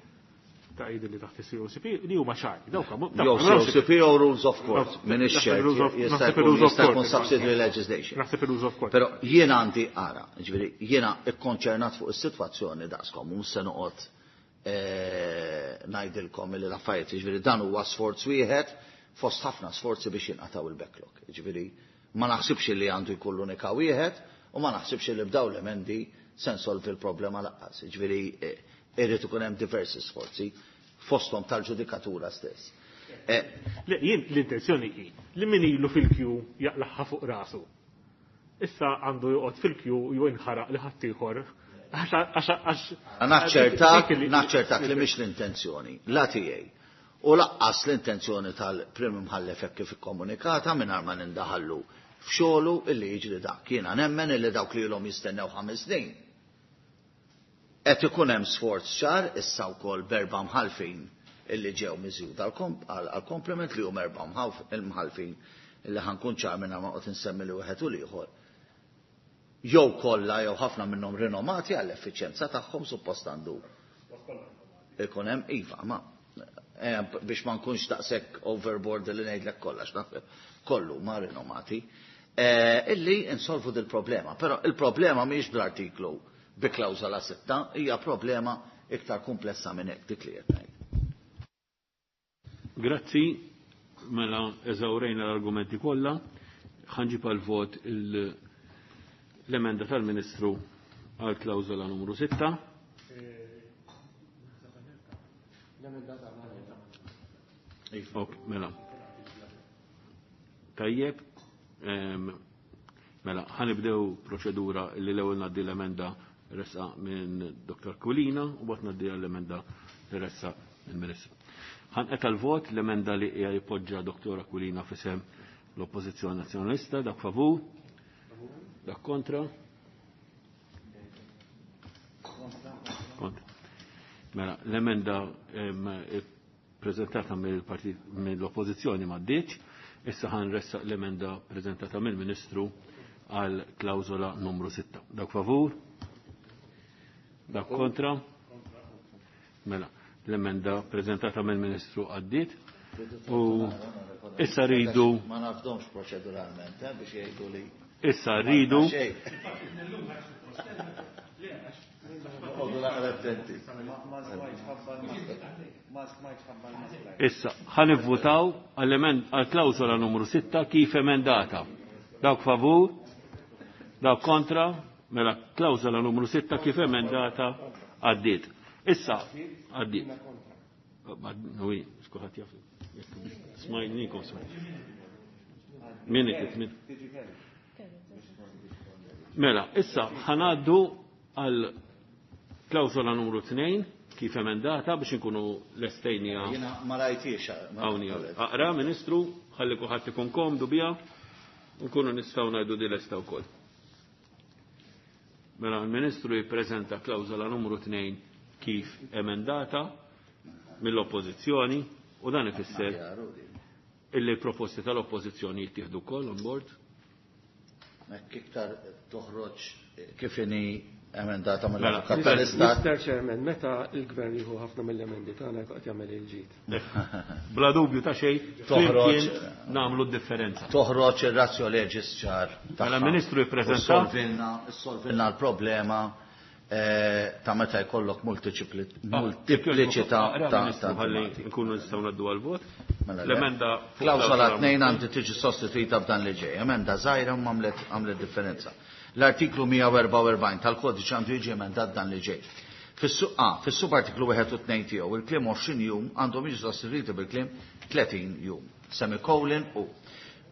ta' jidher li taħt is-C O C P li huma ċari. Dawk dawk Jew C O C P jew Rules of Court, minn Naħseb ix-xert, il-Rules of- jista' naħseb jkun il-Rules of jista' jkun Court. subsidiary legislation. Naħseb il-Rules of Court. Però jiena għandi ara, ġifieri jiena ikkonċernat fuq is-sitwazzjoni daqskom, mhux se noqgħod eh, ngħidilkom li l-affarijiet, ġifieri dan huwa sforz wieħed fost ħafna sforzi biex jinqataw il-backlog. Ġifieri ma naħsibx li għandu jkun l-unika wieħed u ma naħsibx li b'daw l-emendi se nsolvi l-problema lanqas. Ġifieri eh, irrid ikun hemm diversi sforzi fosthom tal-ġudikatura stess. Eh, Le, jien l-intenzjoni hi li min ilu fil-queue jaqlaħħa fuq rasu. Issa għandu joqgħod fil-queue u jinħaraq li ħaddieħor. Għax għax għax Naċċertak, dik li- naċċertak li mhix l-intenzjoni, la tiegħi. U lanqas l-intenzjoni tal-Prim Imħallef hekk kif ikkomunikata mingħajr ma nindaħallu f'xogħlu illi jiġri dak. Jiena nemmen illi dawk li ilhom jistennew ħames snin. Qed ikun hemm sforz ċar issa wkoll b'erba' mħalfin illi ġew miżjud għall-komplement li hum erba' mħalfin illi ħankun ċar mingħajr ma qgħod insemmi li wieħed u l-ieħor. jew kollha jew ħafna minnhom rinomati għall-effiċjenza tagħhom suppost għandu ikun hemm iva, ma eh, biex ma nkunx daqshekk overboard li ngħidlek kollha kollu ma rinomati, eh, illi insolvu dil-problema. Però il-problema mhijiex bl-artiklu bi klawżola sitta, hija problema iktar komplessa minn hekk dik li qed ngħid. Grazzi, mela eżawrejna l-argumenti kollha, ħanġib għal vot l-emenda tal-Ministru għal klawżola numru sitta. Ok, mela. Tajjeb, mela, ħanibdew proċedura li l-ewwel ngħaddi l-emenda ressa minn Dottor Kulina u bat ngħaddi l-emenda li ressa minn Ministru. Ħanqet għal-vot l-emenda li hija jpoġġa Dottor Kulina fisem l-Oppożizzjoni Nazzjonalista, dak favur, dak kontra. Kontra. Mela, l-emenda prezentata mill-Oppożizzjoni ma ddiċ, issa ħan ressa l-emenda prezentata mill-Ministru għal klawżola numru sitta. Dak favur? Dak kontra? Mela, l-emenda prezentata mill-Ministru għaddiet. U issa rridu. Ma nafdomx proċeduralment, eh, biex jgħidu li. Issa rridu. Issa, ħanivvutaw għal-klawsola numru sitta kif emendata. Dawk favur, dawk kontra, mela klawsola numru sitta kif emendata għaddiet. Issa, għaddiet. Ui, xkuħat jaf. Smajnikom smajn. Min min. Mela, issa ħanaddu għal klawsola numru tnejn kif emendata biex inkunu lestejnija. Jiena ma rajtix. Hawn Aqra, Ministru, ħalli kulħadd ikun komdu biha, nkunu nistgħu ngħidu di lesta wkoll. Mela l-Ministru jippreżenta klawsola numru tnejn kif emendata mill-Oppożizzjoni u dan ifisser illi l-proposti tal-Oppożizzjoni jittieħdu wkoll on board. Hekk iktar toħroġ kif inhi emendata mill-Avukat tal-Istat. Mister Chairman, meta l-Gvern jieħu ħafna mill-emendi tagħna qed jagħmel il-ġid. Bla dubju ta' xejn, toħroġ nagħmlu d-differenza. Toħroġ ir-razzjo legis ċar. Mela Ministru jippreżenta. Issolvilna l-problema ta' meta jkollok multipliċità ta' ħalli nkunu nistgħu ngħaddu għall-vot. L-emenda klawsola tnejn għandi tiġi sostituita b'dan li ġej. Emenda żgħira ma għamlet differenza. L-artiklu mija u erbgħa u erbgħin tal-kodiċi għandu jiġi emendat dan li ġej. Fis-subartiklu wieħed u tnejn tiegħu il-kliem għoxrin jum għandhom jiġu sostituiti bil-kliem tletin jum. Semikolon u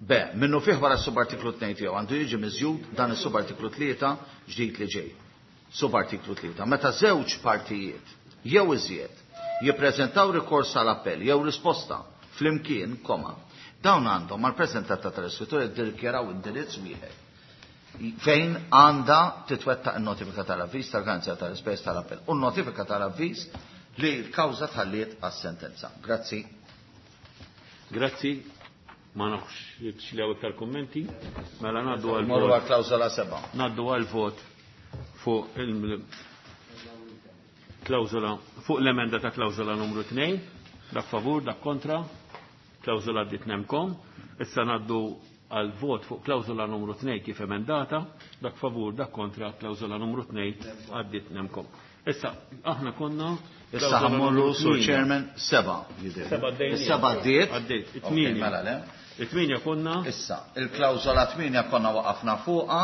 B. Minnu fih wara s-subartiklu tnejn tiegħu għandu jiġi miżjud dan is-subartiklu tlieta ġdid li ġej. Subartiklu tlieta. Meta żewġ partijiet jew iżjed jippreżentaw rikors għal appell jew risposta flimkien, koma, dawn għandhom mal-preżentata tal-iskrittur jiddikjaraw indirizz wieħed fejn għandha titwettaq in-notifika tal-avviż tal-garanzija tal-ispejjeż tal-appell u n-notifika tal-avviż li l-kawża tħalliet għas-sentenza. Grazzi. Grazzi. Ma nafx li hawn iktar kummenti. Mela ngħaddu għal Morru għal klawżola seba'. Ngħaddu għal vot fuq il-klawżola fuq l-emenda ta' klawżola numru tnejn, dak favur, dak kontra, klawżola għaddiet nemkom. Issa ngħaddu għal vot fuq klawżola numru tnejn kif emendata, dak favur, dak kontra, klawżola numru tnejn għaddiet nemkom. Issa aħna konna Issa ħammorru sur Chairman seba' jidher. Seba' għaddejna. Seba' għaddiet. Għaddiet, it-tmienja. Mela le. It-tmienja konna. Issa, il-klawżola tmienja konna waqafna fuqha.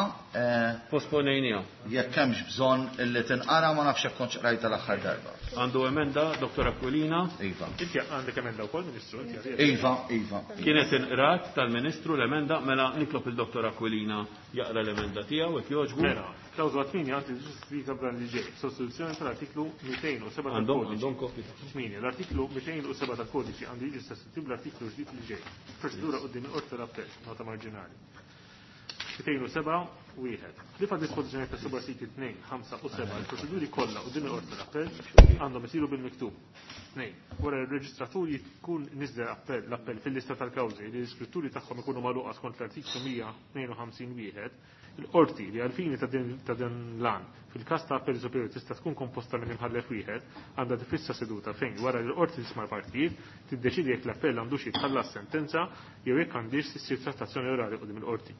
Posponejnija. Jekk hemmx bżonn illi tinqara ma nafx jekk kontx qrajta l-aħħar darba. Għandu emenda, Dottor Aquilina. Iva. Inti għandek emenda wkoll, Ministru, inti għandek. Iva, iva. Kienet inqrat tal-Ministru l-emenda, mela nitlob il-Dottor Aquilina jaqra l-emenda tiegħu jekk jogħġbu. Mela, klawżola tmienja għandi ġustita b'dan li ġej, sostituzzjoni tal-artiklu mitejn u seba' Għandhom, tal-kodiċi. għandhom kopji. Tmienja, l-artiklu mitejn u seba' tal-kodiċi għandu jiġi sostituit bl-artiklu ġdid li ġej. Proċedura quddiem il-qorti tal-appell, nota marġinali. Mitejn u seba' wieħed. Li fa' dispożizzjoni ta' subartikli tnejn, ħamsa u seba' il-proċeduri kollha quddiem il-qorti tal-appell għandhom isiru bil-miktub. Tnejn, wara r-reġistratur jkun niżel appell, l-appell fil-lista tal-kawżi li l-iskritturi tagħhom ikunu magħluqa skont l-artiklu mija tnejn u ħamsin wieħed, Il-qorti li għal-fini ta' din l-għan fil-każ ta' appell superjuri tista' tkun komposta minn imħallef wieħed għandha tifissa seduta fejn wara li l-qorti tisma' l-partijiet tiddeċidi jekk l-appell għandux jitħallas sentenza jew jekk għandix issir trattazzjoni orali quddiem il-qorti.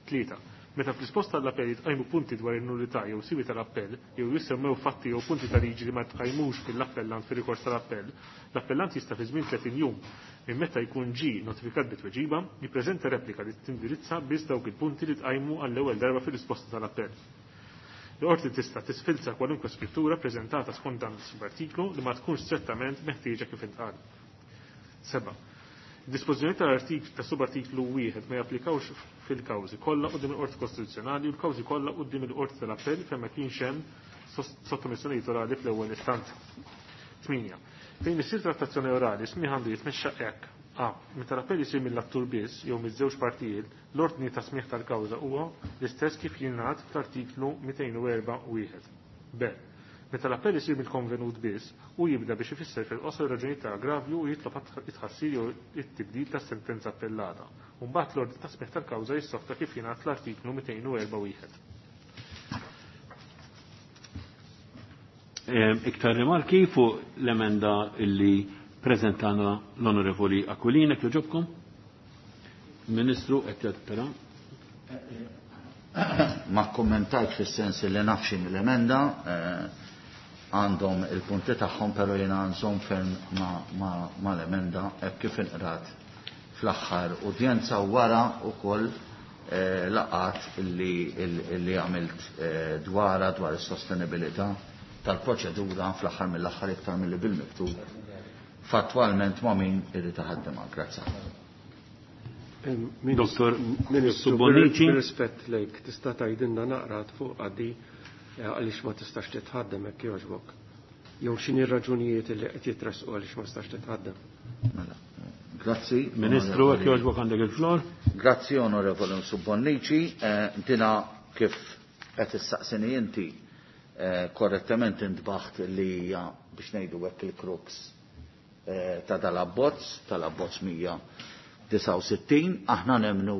Tlieta. Meta fl-risposta għall-appell jitqajmu punti dwar in-nullità jew siwi tal-appell jew jissemmew fatti jew punti ta' liġi li ma tqajmux fil-appellant fir-rikors tal-appell, l-appellant jista' fi żmien tletin jum minn meta jkun ġie notifikat bit-tweġiba jippreżenta replika li tindirizza biss dawk il-punti li tqajmu għall-ewwel darba fir-risposta tal-appell. L-qorti tista' tisfilza kwalunkwe skrittura preżentata skont dan is-subartiklu li ma tkunx strettament meħtieġa kif intqal. Seba'. Dispożizzjoni tal-artiklu ta' subartiklu wieħed ma japplikawx fil-kawżi kollha quddiem il-Qorti Kostituzzjonali u l-kawżi kollha quddiem il-Qorti tal-Appell fejn ma kienx hemm sottomissjonijiet orali fl-ewwel istanza. Tminja. Fejn isir trattazzjoni orali smigħ għandu jitmexxa hekk. A. Meta l-appell isir mill-attur biss jew miż-żewġ partijiet, l-ordni ta' smigħ tal-kawża huwa l-istess kif jingħad fl-artiklu mitejn u erba' wieħed. B. Meta l-appell isir mill-konvenut biss, u jibda biex ifisser fil-qosor raġunijiet ta' aggravju u jitlob it-tħassir jew it-tibdil tas-sentenza appellata. U mbagħad l-ordni ta' smigħ tal-kawża jissokta kif jingħad fl-artiklu mitejn u erba' wieħed. Iktar rimarki fuq l-emenda illi prezentana l-Onorevoli Aquilina, kjoġobkom? Ministru, qed jgħid Ma kommentajt fis-sens li nafxin l-emenda, għandhom il-punti tagħhom, però jiena nżomm ferm ma l-emenda hekk kif inqrat fl-aħħar udjenza u wara wkoll laqat li għamilt dwara dwar is-sostenibilità tal-proċedura fl-aħħar mill-aħħar iktar milli bil-miktub fattwalment ma' min irid iħaddimha. Grazzi. Doktor Ministru Bonnici. Rispett lejk, tista' tgħidilna naqra fuq għaddi għaliex ma tistax titħaddem hekk jogħġbok. Jew x'inhi r-raġunijiet li qed jitressqu għaliex ma tistax titħaddem. Mela, grazzi. Ministru, hekk jogħġbok għandek il-flor. Grazzi, Onorevoli Bonnici. Dina kif qed issaqsini inti korrettament intbaħt li hija biex ngħidu hekk il-crux ta' dal-abbozz, tal-abbozz mija disgħa u sittin, aħna nemnu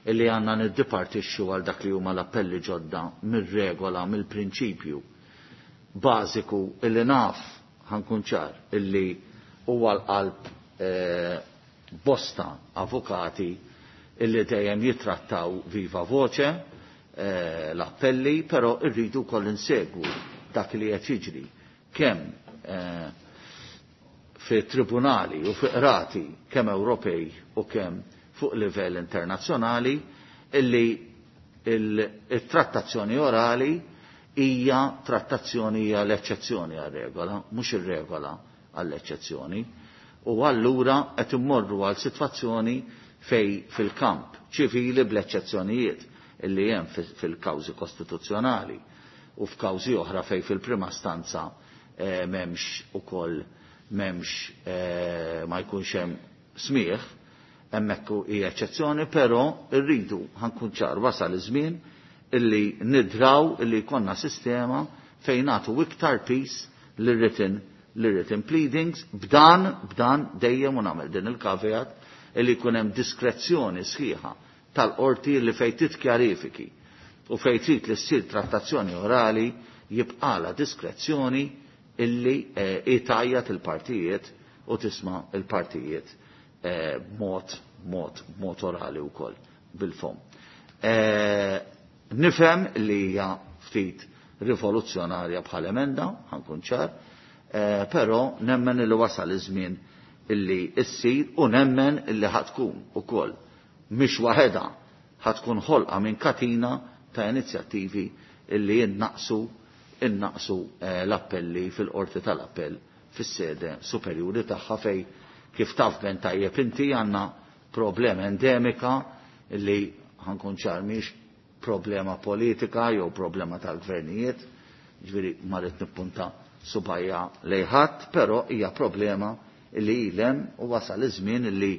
illi għanna niddipartixxu għal dak li huma l-appelli ġodda mir-regola, mill-prinċipju bażiku illi naf ħankun ċar illi huwa l-qalb bosta avukati illi dejjem jitrattaw viva voce l-appelli, però rridu wkoll insegwu dak li qed jiġri kemm fi tribunali u fi qrati kemm Ewropej u kemm fuq livell internazzjonali illi il-trattazzjoni orali hija trattazzjoni hija l-eċċezzjoni għar-regola, mhux ir-regola għall-eċċezzjoni. U allura qed immorru għal sitwazzjoni fej fil-kamp ċivili bl-eċċezzjonijiet illi hemm fil-kawżi kostituzzjonali u f'kawżi oħra fej fil-prima stanza m'hemmx ukoll m'hemmx ma jkunx hemm smieħ, hemmhekk hija eċċezzjoni, però rridu ħankun ċar wasal iż-żmien illi nidraw illi jkollna sistema fejn nagħtu iktar peace lir-written lir-written pleadings b'dan b'dan dejjem u nagħmel din il-caveat illi jkun hemm diskrezzjoni sħiħa tal-qorti li fejn titkjarifiki u fejn trid li ssir trattazzjoni orali jibqala diskrezzjoni illi itajjat il-partijiet u tisma' il-partijiet b'mod mod mod orali wkoll bil-fom. Nifhem li hija ftit rivoluzzjonarja bħal emenda, ħankun ċar, però nemmen li wasal iż-żmien illi issir u nemmen illi ħatkun ukoll mhix waħedha ħatkun ħolqa minn katina ta' inizjattivi illi jinnaqsu innaqsu l-appelli fil-qorti tal-appell fis-sede superjuri tagħha fej kif taf ben tajjeb inti għandna problema endemika illi ħankun ċar mhix problema politika jew problema tal-gvernijiet, ġifieri ma rrid nippunta subajja lejħadd, però hija problema illi ilhem u wasal iż-żmien illi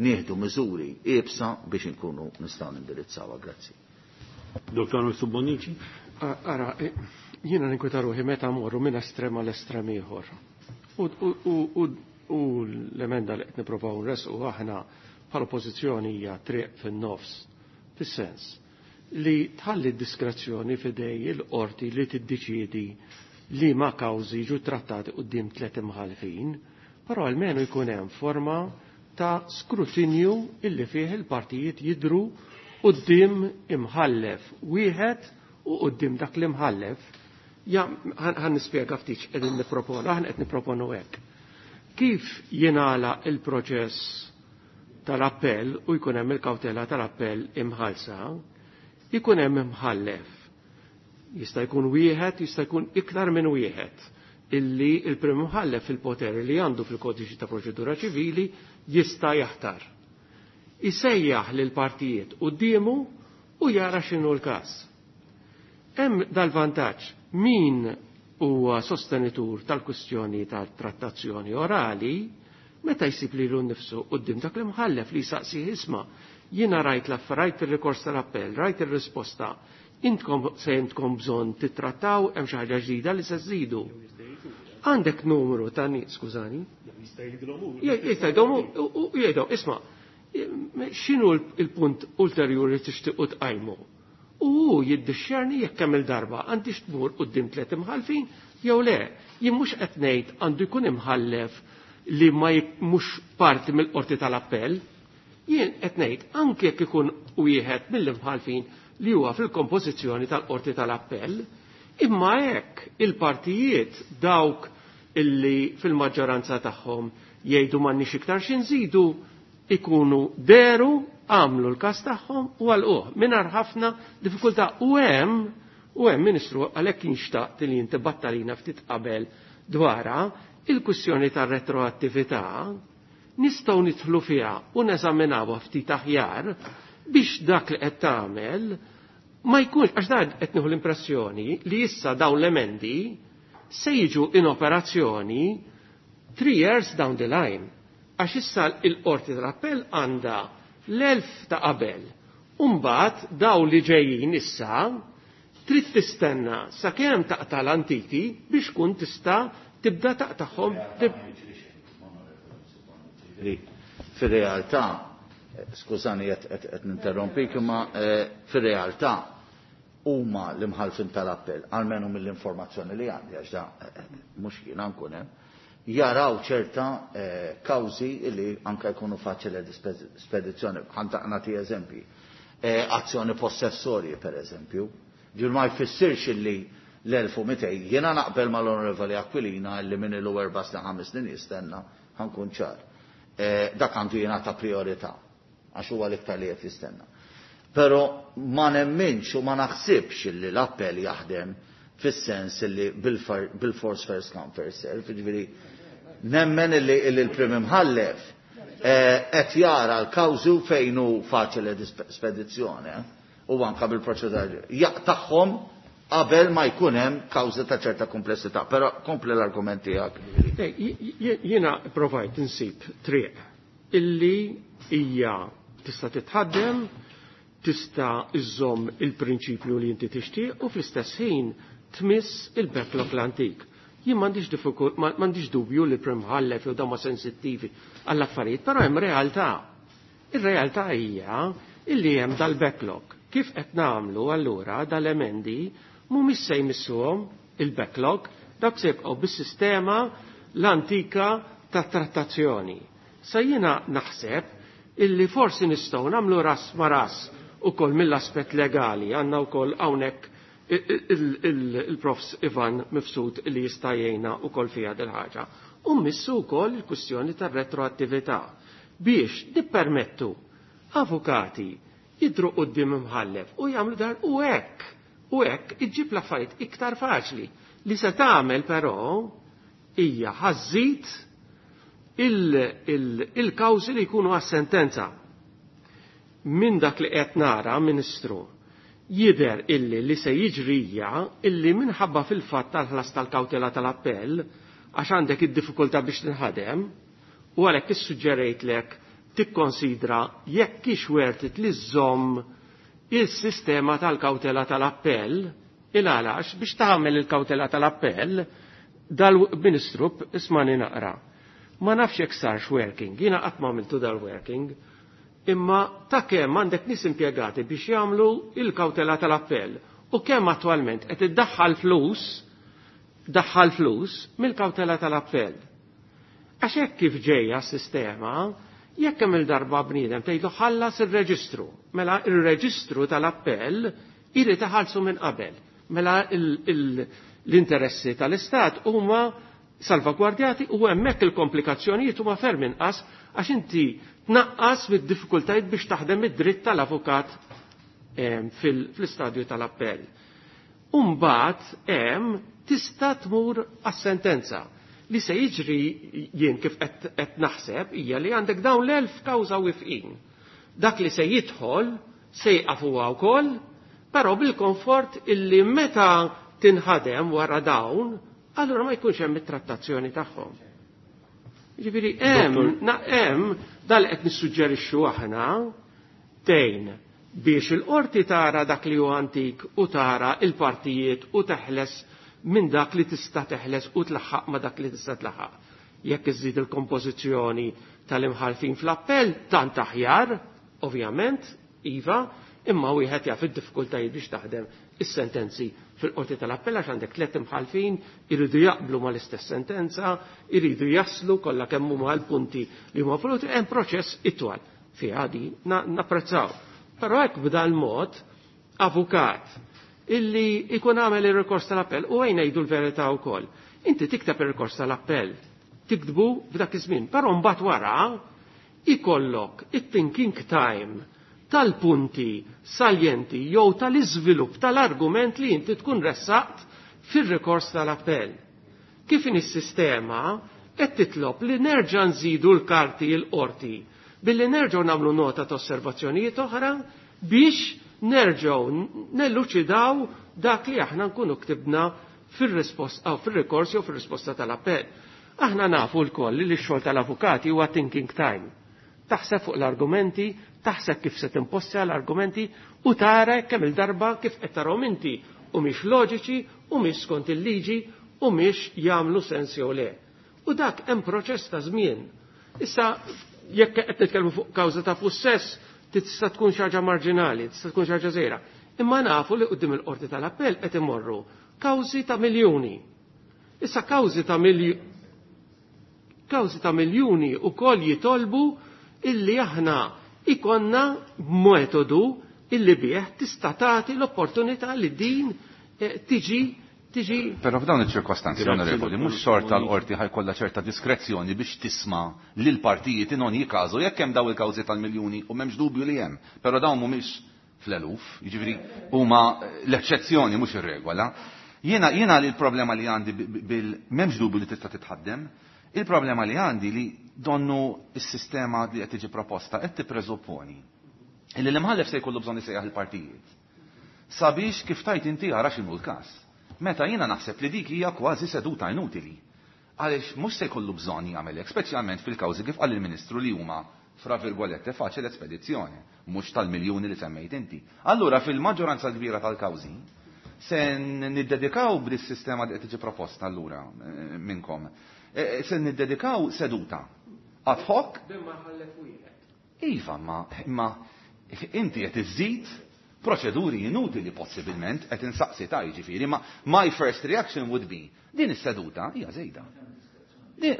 nieħdu miżuri iebsa biex inkunu nistgħu nindirizzawha. Grazzi. Doktor Bonnici? Ara, jiena ninkweta ruħi meta mmorru minn estrem għal estrem ieħor. U l-emenda li qed nippruvaw nresqu aħna bħala oppożizzjoni hija triq fin-nofs, fis-sens li tħalli diskrezzjoni f'idej il-qorti li tiddeċiedi li ma kawżi jiġu trattati quddiem tliet imħalfin, però almenu jkun hemm forma ta' skrutinju illi fih il-partijiet jidru quddiem imħallef wieħed u quddiem dak l-imħallef. Ja, ħan nispjega ftit qegħdin nipproponu, aħna qed nipproponu hekk. Kif jingħala il-proċess tal-appell u jkun hemm il-kawtela tal-appell imħalsa, jkun hemm imħallef. Jista' jkun wieħed, jista' jkun iktar minn wieħed illi il-prim imħallef fil-poter li għandu fil-kodiċi ta' proċedura ċivili jista' jaħtar. Isejjaħ lil partijiet quddiemu u jara x'inhu l-każ. Hemm dal-vantaġġ min huwa sostenitur tal-kwistjoni tal-trattazzjoni orali meta jsib lilu nnifsu quddiem dak l-imħallef li jsaqsih isma' jiena rajt l-aff rajt ir-rikors tal-appell, rajt ir-risposta, intkom se intkom bżonn titrattaw hemm xi ħaġa ġdida li se żżidu. Għandek numru ta' nies, skużani? Jista' jgħidilhom hu. Jista' jgħidhom u jgħidhom, isma' x'inhu l-punt ulterjuri li tixtiequ tqajmu? U hu jiddixxerni jekk kemm il-darba għandix tmur quddiem tliet imħallfin jew le. Jien mhux qed ngħid għandu jkun imħallef li ma mhux parti mill-qorti tal-appell. Jien qed ngħid anke jekk ikun wieħed mill-imħallfin li huwa fil-kompożizzjoni tal-qorti tal-appell, imma hekk il-partijiet dawk illi fil-maġġoranza tagħhom jgħidu m'għandniex iktar xi nżidu ikunu deru għamlu l-każ tagħhom u għalquh mingħajr ħafna diffikultà. U hemm u hemm Ministru għalhekk inxtaqt li inti battalina ftit qabel dwarha il-kwistjoni tar-retroattività nistgħu nidħlu fiha u neżaminawha ftit aħjar biex dak li qed tagħmel ma jkunx, għax dan qed nieħu l-impressjoni li issa dawn l-emendi se jiġu in operazzjoni three years down the line. Għax issa il-qorti tal-appell għandha l-elf ta' qabel. Umbagħad daw li ġejjin issa trid tistenna sakemm taqta' l-antiki biex kun tista' tibda taqtagħhom. Fir-realtà, skużani qed ninterrompik, imma fir-realtà huma l-imħalfin tal-appell, almenu mill-informazzjoni li għandi, għax da mhux jiena nkun hemm, jaraw ċerta kawżi li anke jkunu faċili spedizzjoni. Ħa nagħti eżempji. Azzjoni possessorji, per eżempju. Ġur ma jfissirx illi l-elf u mitejn, jiena naqbel mal-Onorevoli Aquilina illi minn ilu erba' snin ħames snin jistenna, ħankun ċar. Dak għandu jingħata priorità, għax huwa l-iktar li qed jistenna. Però ma nemminx u ma naħsibx illi l-appell jaħdem fis-sens illi bil-force first come first serve, jiġifieri nemmen illi l-prim imħallef qed jara l-kawżu fejn hu faċili spedizzjoni u anka bil-proċedura jaqtagħhom qabel ma jkun hemm kawżi ta' ċerta komplessità. Però kompli l-argument tiegħek. Jiena provajt insib triq illi hija tista' titħaddem, tista' iżżomm il-prinċipju li inti tixtieq u fl-istess ħin tmiss il-backlog l-antik. Jien m'għandix m'għandix dubju li prim imħallef jew dawn ma sensittivi għall-affarijiet, però hemm realtà. Ir-realtà hija illi hemm dal-backlog. Kif qed nagħmlu allura dal-emendi mhumiex se jmissuhom il-backlog, dak se jibqgħu bis-sistema l-antika ta' trattazzjoni. Sa jiena naħseb illi forsi nistgħu nagħmlu ras ma ras ukoll mill-aspett legali, għandna wkoll hawnhekk il-profs Ivan Mifsud li jista' jgħinna wkoll fiha dil ħaġa. U mmissu wkoll il-kwistjoni tar-retroattività biex nippermettu avukati jidru quddiem imħallef u jagħmlu dar u hekk u hekk iġġib l-affarijiet iktar faċli. Li se tagħmel però hija ħażid il-kawżi li jkunu għas-sentenza. Minn dak li qed nara, Ministru, jidher illi li se jiġrija illi minħabba fil-fatt tal-ħlas tal-kawtela tal-appell għax għandek id-diffikultà biex tinħadem u għalhekk issuġġerejtlek tikkonsidra jekk hix worth it li żżomm il-sistema tal-kawtela tal-appell il-għalax biex tagħmel il-kawtela tal-appell dal-Ministru ismani naqra. Ma nafx jekk sarx working, jiena qatt ma għamiltu dal-working. Imma ta' kemm għandek nies impjegati biex jagħmlu il-kawtela tal-appell u kemm attwalment qed iddaħħal flus, daħħal flus mill-kawtela tal-appell. Għax hekk kif ġejja s-sistema, jekk hemm il-darba bniedem tgħidlu ħallas ir-reġistru, mela ir-reġistru tal-appell irid iħallsu minn qabel. Mela l-interessi tal-Istat huma salvagwardjati u hemmhekk il-komplikazzjonijiet huma ferm inqas għax inti tnaqqas mid-diffikultajiet biex taħdem id-dritt tal-avukat fl-istadju tal-appell. Umbagħad hemm tista' tmur għas-sentenza. Li se jiġri jien kif qed naħseb hija li għandek dawn l-elf kawża wifqin. Dak li se jidħol se jqaf huwa wkoll, però bil-komfort illi meta tinħadem wara dawn, allura ma jkunx hemm it-trattazzjoni tagħhom. Jiġifieri hemm hemm dal qed nissuġġerixxu aħna tgħin biex il-qorti tara dak li hu antik u tara il-partijiet u teħles minn dak li tista' teħles u tlaħħaq ma dak li tista' tlaħħaq. Jekk iżżid il-kompożizzjoni tal-imħalfin fl-appell, tant aħjar, ovvjament, iva, imma wieħed jaf id-diffikultajiet biex taħdem is-sentenzi fil-qorti tal-appell għax għandek tliet imħalfin iridu jaqblu mal-istess sentenza, iridu jaslu kollha kemm huma l-punti li huma voluti, hemm proċess itwal fiha di napprezzaw. Però hekk b'dan mod avukat illi ikun għamel ir-rikors tal-appell u għajn ngħidu l-verità wkoll. Inti tikteb ir-rikors tal-appell, tiktbu f'dak iż-żmien, però mbagħad wara ikollok it-thinking time tal-punti saljenti jew tal-iżvilupp tal-argument li inti tkun ressaqt fir-rikors tal-appell. Kif in is-sistema qed titlob li nerġa' nżidu l-karti l-qorti billi nerġgħu nagħmlu nota ta' osservazzjonijiet oħra biex nerġgħu nelluċidaw dak li aħna nkunu ktibna fir-risposta aw fir-rikors jew fir-risposta tal-appell. Aħna nafu lkoll li x-xogħol tal-avukati huwa thinking time. Taħseb fuq l-argumenti, taħseb kif se timpostja l-argumenti u tara kemm il-darba kif qed tarahom inti u mhix loġiċi u mhix skont il-liġi u mhix jagħmlu sens jew le. U dak hemm proċess ta' żmien. Issa jekk qed nitkellmu fuq kawża ta' pussess, tista' tkun xi ħaġa marġinali, tista' tkun xi ħaġa żgħira. Imma nafu li quddiem il-qorti tal-appell qed imorru kawżi ta' miljuni. Issa kawżi ta' miljuni kawżi ta' miljuni wkoll jitolbu illi aħna ikonna metodu illi bih tista' tagħti l-opportunità li din tiġi tiġi. Però f'dawn iċ-ċirkostanzi, onorevoli, mhux xorta l-qorti ħajkollha ċerta diskrezzjoni biex tisma' lil partijiet in ogni każu jekk hemm daw il-kawżi tal-miljuni u m'hemmx dubju li hemm, però dawn mhumiex fl-eluf, jiġifieri huma l-eċċezzjoni mhux ir-regola. Jiena jiena li l-problema li għandi bil m'hemmx dubju li tista' titħaddem, il-problema li għandi li donnu s-sistema li qed tiġi proposta qed tippreżupponi illi l-imħallef se jkollu bżonn isejjaħ il-partijiet. Sabiex kif tajt inti ara x'inhu l-każ. Meta jiena naħseb li dik hija kważi seduta inutili. Għaliex mhux se jkollu bżonn jagħmel hekk, speċjalment fil-kawżi kif qal il-Ministru li huma fra virgolette faċile spedizzjoni, mhux tal-miljuni li semmejt inti. Allura fil-maġġoranza kbira tal-kawżi se niddedikaw b'dis-sistema li qed tiġi proposta allura minnkom. Se niddedikaw seduta ad hoc. Iva, ma, ma inti qed iżżid proċeduri inutili possibilment qed insaqsi ta' jiġifieri, ma my first reaction would be din is-seduta hija żejda.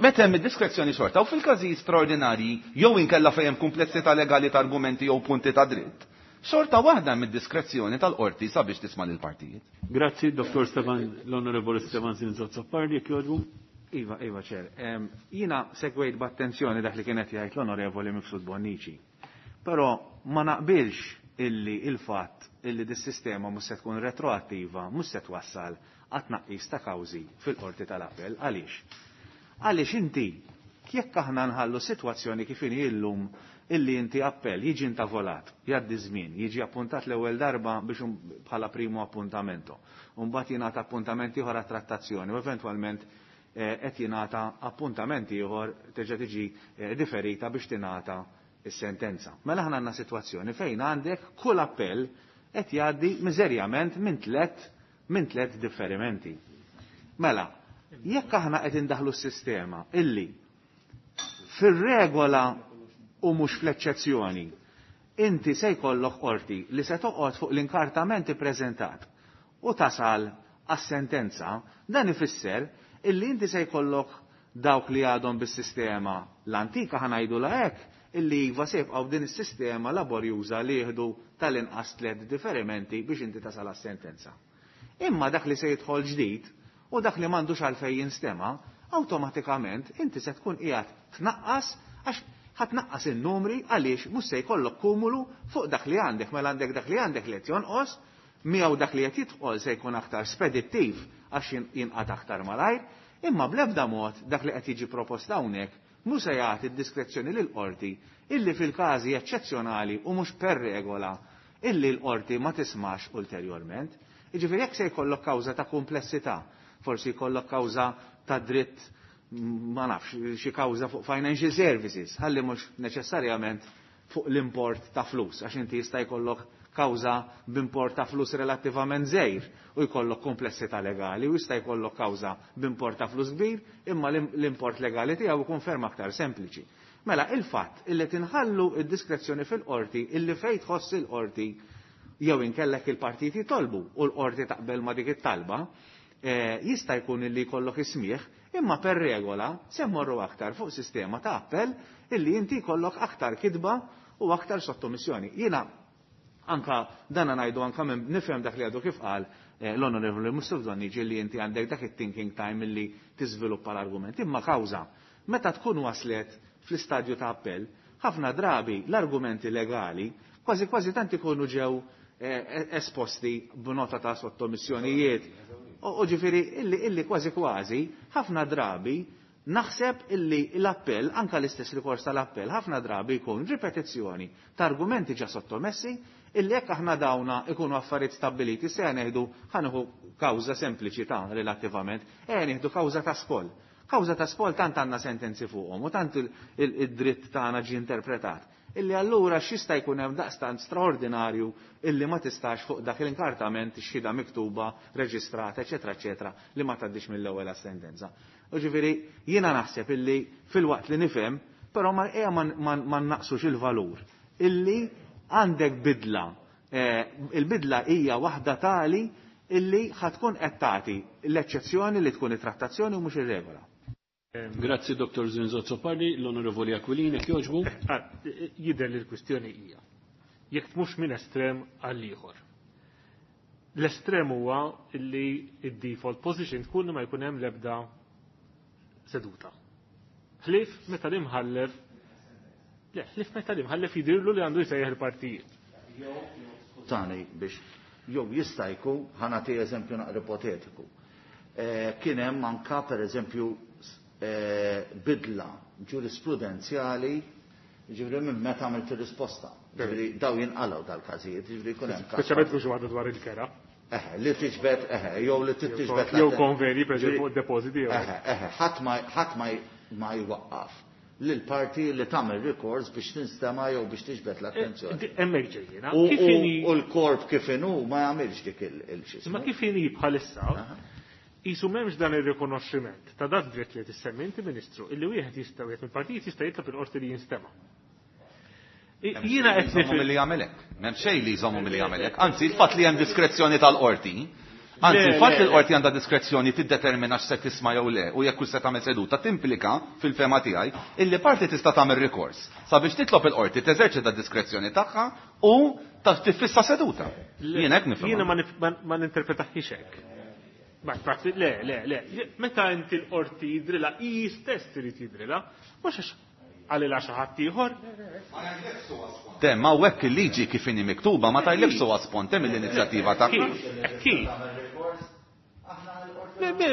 Meta hemm id-diskrezzjoni xorta u fil-każijiet straordinarji jew inkella fejn hemm komplessità legali ta' argumenti jew punti ta' dritt, xorta waħda mid-diskrezzjoni tal-qorti sabiex tisma' lill-partijiet. Grazzi, Dottor Stefan, l-Onorevoli Stefan Zinzot Azzopardi, jekk jogħġbu. Iva, Iva, ċer. Jina segwejt b'attenzjoni dak li kienet jgħid l-Onorevoli Mifsud Bonnici. Però ma naqbilx illi il-fatt illi dis-sistema mhux se tkun retroattiva, mhux se twassal għat-tnaqqis ta' kawżi fil-qorti tal-appell. Għaliex? Għaliex inti jekk aħna nħallu sitwazzjoni kif inhi illum illi inti appell jiġi intavolat, jgħaddi żmien, jiġi appuntat l-ewwel darba biex bħala primu appuntamento, u mbagħad jingħata appuntament ieħor għat-trattazzjoni u eventwalment qed jingħata appuntament ieħor terġa' tiġi diferita biex tingħata is-sentenza. Mela aħna għandna sitwazzjoni fejn għandek kull appell qed jgħaddi miżerjament minn tliet minn tliet differimenti. Mela, jekk aħna qed indaħlu s-sistema illi fir-regola u mhux fl-eċċezzjoni inti se jkollok qorti li se toqgħod fuq l-inkartament ippreżentat u tasal għas-sentenza, dan ifisser illi inti se jkollok dawk li għadhom bis-sistema l-antika, ħa ngħidu hekk, illi iva se jibqgħu din is-sistema laborjuża li jieħdu tal-inqas tliet diferimenti biex inti tasal għas-sentenza. Imma dak li se jidħol ġdid u dak li m'għandux għalfejn jinstema', awtomatikament inti se tkun qiegħed tnaqqas, għax ħa tnaqqas in-numri, għaliex mhux se jkollok kumulu fuq dak li għandek, mela għandek dak li għandek li qed jonqos, miegħu dak li qed jidħol se jkun aktar spedittiv għax jinqata' aktar malajr, imma bl-ebda mod dak li qed jiġi propost hawnhekk mhux se jagħti d-diskrezzjoni lill-qorti illi fil-każi eċċezzjonali u mhux per regola illi l-qorti ma tismax ulterjorment. Jiġifieri jekk se jkollok kawża ta' komplessità, forsi jkollok kawża ta' dritt, ma nafx, xi kawża fuq financial services, ħalli mhux neċessarjament fuq l-import ta' flus, għax inti jista' jkollok kawża b'import ta' flus relattivament żgħir u jkollok komplessità legali, u jista' jkollok kawża b'import ta' flus kbir, imma l-import legali tiegħu jkun ferm aktar sempliċi. Mela il-fatt illi tinħallu id-diskrezzjoni fil-qorti illi fejn tħoss il-qorti jew inkellek il-partiti jitolbu u l-qorti taqbel ma dik it-talba, jista' jkun illi jkollok ismieħ, imma per regola se mmorru aktar fuq sistema ta' appell illi inti jkollok aktar kitba u aktar sottomissjoni. Jiena anka dana ngħidu anka minn nifhem dak li għadu kif qal l-Onorevoli Mifsud Bonnici li inti għandek dak it-thinking time illi tiżviluppa l-argument. Imma kawża, meta tkun waslet fl-istadju ta' appell, ħafna drabi l-argumenti legali kważi kważi tant ikunu ġew esposti b'nota ta' sottomissjonijiet. U ġifieri illi, illi kważi kważi ħafna drabi naħseb illi l-appell, anka l-istess rikors tal-appell, ħafna drabi jkun ripetizzjoni ta' argumenti ġa sottomessi illi jekk aħna dawna ikunu affarijiet stabbiliti, se nieħdu ħa nieħu kawża sempliċi ta' relattivament, e nieħdu kawża ta' spoll. Kawża ta' spoll tant għandna sentenzi fuqhom u tant id-dritt tagħna ġie interpretat. Illi allura x'jista' jkun hemm daqstant straordinarju illi ma tistax fuq dak l-inkartament xhieda miktuba, reġistrata, eċetera, eċetera, li ma tgħaddix mill-ewwel sentenza. U ġifieri jiena naħseb illi fil-waqt li nifhem, però ma ejja ma naqsux il-valur illi għandek bidla. Il-bidla hija waħda tali illi ħatkun qed tagħti l-eċċezzjoni li tkun it-trattazzjoni u mhux ir-regola. Grazzi Dottor Zrinzo Azzopardi, l-Onorevoli Aquilini, jogħġbu. Jidher li l-kwistjoni hija jekk mhux minn estrem għal ieħor. L-estrem huwa li id-default position tkun li ma jkun hemm l-ebda seduta. Ħlief meta l-imħallef le, ħlief meta l-imħallef jidhirlu li għandu jsejjaħ il-partijiet. Tani biex jew jista' jkun, ħa nagħti eżempju naqra ipotetiku. Kien hemm anka pereżempju bidla ġurisprudenzjali, ġifieri minn meta għamilt ir-risposta. Ġifieri daw jinqalgħu dal-każijiet, ġifieri jkun hemm każ. Speċjalment mhux waħda dwar il-kera. Eħe, li tiġbed, eħe, jew li tiġbed Jew konveni, pereżempju, fuq depositi jew. Eħe, eħe, ħadd ma ħadd ma jwaqqaf lil parti li tagħmel rikors biex tinstema' jew biex tiġbed l-attenzjoni. Hemmhekk ġejjina. U l-korp kif inhu ma jagħmilx dik il-xismu. Ma kif inhi bħalissa, Isu m'hemmx dan ir-rikonoxximent ta' dak dritt li tissemmi inti Ministru, illi wieħed jista' wieħed mill-partijiet jista' jitlob il-qorti li jinstema'. Jiena qed nifhem milli jagħmel hekk. M'hemm xejn li jżommu milli jagħmel hekk. Anzi, il-fatt li hemm diskrezzjoni tal-qorti, anzi, il-fatt li l-qorti għandha diskrezzjoni tiddetermina x'se tisma' jew le u jekk se tagħmel seduta timplika fil-fema tiegħi illi parti tista' tagħmel rikors sabiex titlob il-qorti teżerċita d-diskrezzjoni tagħha u tiffissa seduta. Jien hekk nifhem. Jiena ma ninterpretaħiex hekk. Ma prati, le, le, le. Meta inti l-qorti jidrilha, hi stess trid jidrilha, mhux għax għalilha xi ħadd ieħor. Tem, ma hekk il-liġi kif inhi miktuba ma tajlekx suwa sponte mill-inizjattiva tagħha. Kif? Le, le,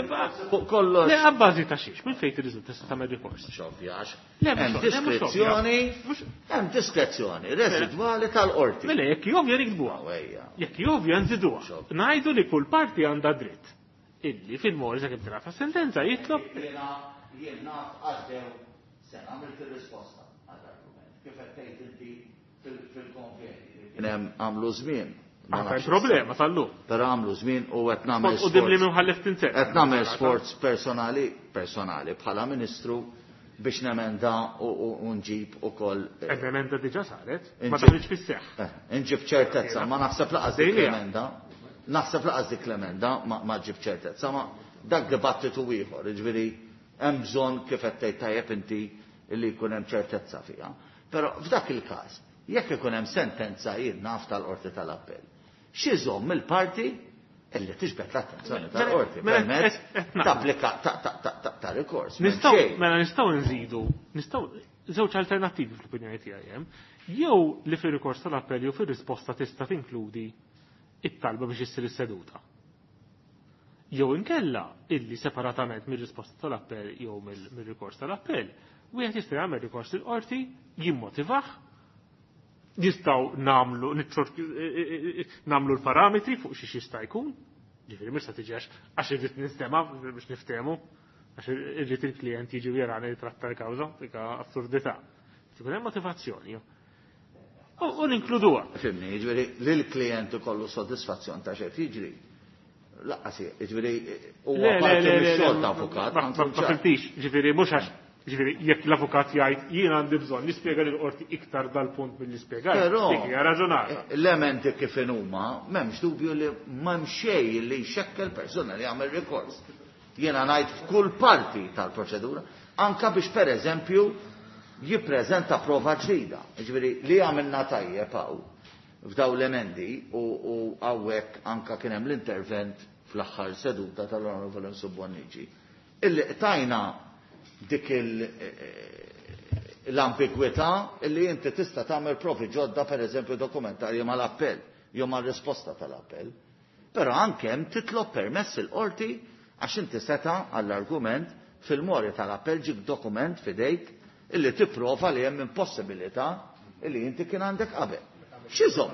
Kollox. Le, għabbażi ta' xiex, minn fejn tirriżulta tista' tagħmel rikors? Xovjax. Le, Hemm diskrezzjoni, hemm diskrezzjoni residwali tal-qorti. Mela, jekk jovja nikdbuha. Jekk jovja nżiduha. Ngħidu li kull parti għandha dritt illi fil-mori sa' kif tingħata sentenza jitlob. Jiena jien naf għaddew sena għamilt ir-risposta għall-argument. Kif qed tgħid inti fil-konveni. Kien hemm għamlu żmien. Għandha problema tal-lum. Però għamlu żmien u qed nagħmel U dim li mħallef tinser. Qed nagħmel sforz personali, personali bħala Ministru biex nemenda u nġib ukoll. Emenda diġà saret, ma daħlitx fis-seħħ. Nġib ċertezza, ma naħseb laqas dik l-emenda. Naħseb laqas dik l-emenda ma ġib ċertezza, ma dak dibattitu ieħor, jiġifieri hemm bżonn kif qed tgħid tajjeb inti li jkun hemm ċertezza fiha. Però f'dak il-każ, jekk ikun hemm sentenza jien naf tal-Qorti tal-Appell, x'iżomm il-parti illi tiġbed l-attenzjoni tal-qorti permezz tapplika ta' rikors. Nistgħu mela nistgħu nżidu, nistgħu żewġ alternattivi fl-opinjoni tiegħi hemm, jew li fir-rikors tal-appell jew fir-risposta tista' tinkludi it-talba biex issir is-seduta. Jew inkella illi separatament mir-risposta tal-appell jew mir-rikors tal-appell, wieħed jista' jagħmel rikors il-qorti, jimmotivah, nistgħu nagħmlu nagħmlu l-parametri fuq xi jista' jkun, ġifieri mhux se tiġi għax irrid nistema' biex niftehmu, għax irrid il-klient jiġi jarani li tratta l-kawża, dik assurdità. Tkun hemm motivazzjoni. U ninkluduha. Fimni, jiġifieri li l-klient ikollu sodisfazzjon ta' xejn jiġri. Laqqas, jiġifieri huwa parti mix-xogħol ta' avukat. Ma fimtix, ġifieri mhux għax ġifieri jekk l-avukat jgħid jien għandi bżonn nispjega lill-qorti iktar dal-punt milli spjegajt, dik hija raġunata. L-elementi kif huma m'hemmx dubju li m'hemm xejn li jxekkel persuna li jagħmel rikors. Jiena ngħid f'kull parti tal-proċedura, anka biex pereżempju jippreżenta prova ġdida. Ġifieri li għamilna tajjeb hawn f'daw l-emendi u hawnhekk anka kien hemm l-intervent fl-aħħar seduta tal-Onorevoli Bonnici. Illi qtajna dik l-ambigwità illi inti tista' tagħmel provi ġodda pereżempju dokumentarji mal-appell jew mar-risposta tal-appell. Però anke hemm titlob permess il-qorti għax inti seta' għall-argument fil-mori tal-appell ġib dokument f'idejk illi tipprova li hemm impossibilità illi inti kien għandek qabel. X'iżomm?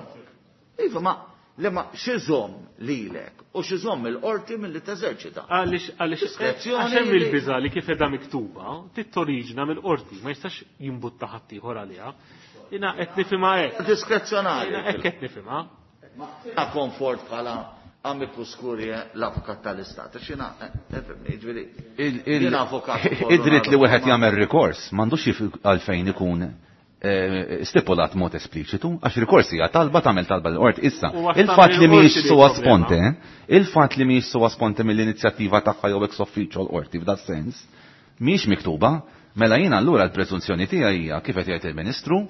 Iva ma li ma x'iżomm lilek u x'iżomm il-qorti milli teżerċita. Għaliex għaliex għax hemm il-biża' li kif qiegħda miktuba tittoriġina mill-qorti, ma jistax jimbutta ħadd ieħor għaliha. Jiena qed nifhimha hekk. Diskrezzjonali. Jiena hekk qed nifhimha. Ma komfort bħala amicus curiae l-avukat tal-istat. X'jiena ġifieri. Id-dritt li wieħed jagħmel rikors m'għandux għalfejn ikun stipulat mod espliċitu, għax rikors hija talba tagħmel talba l-qorti issa. Il-fatt li mhijiex sua sponte, il-fatt li mhijiex sua sponte mill-inizjattiva tagħha jew ex officio l-qorti f'da sens, mhijiex miktuba, mela jiena allura l-preżunzjoni tiegħi hija kif qed jgħid il-Ministru,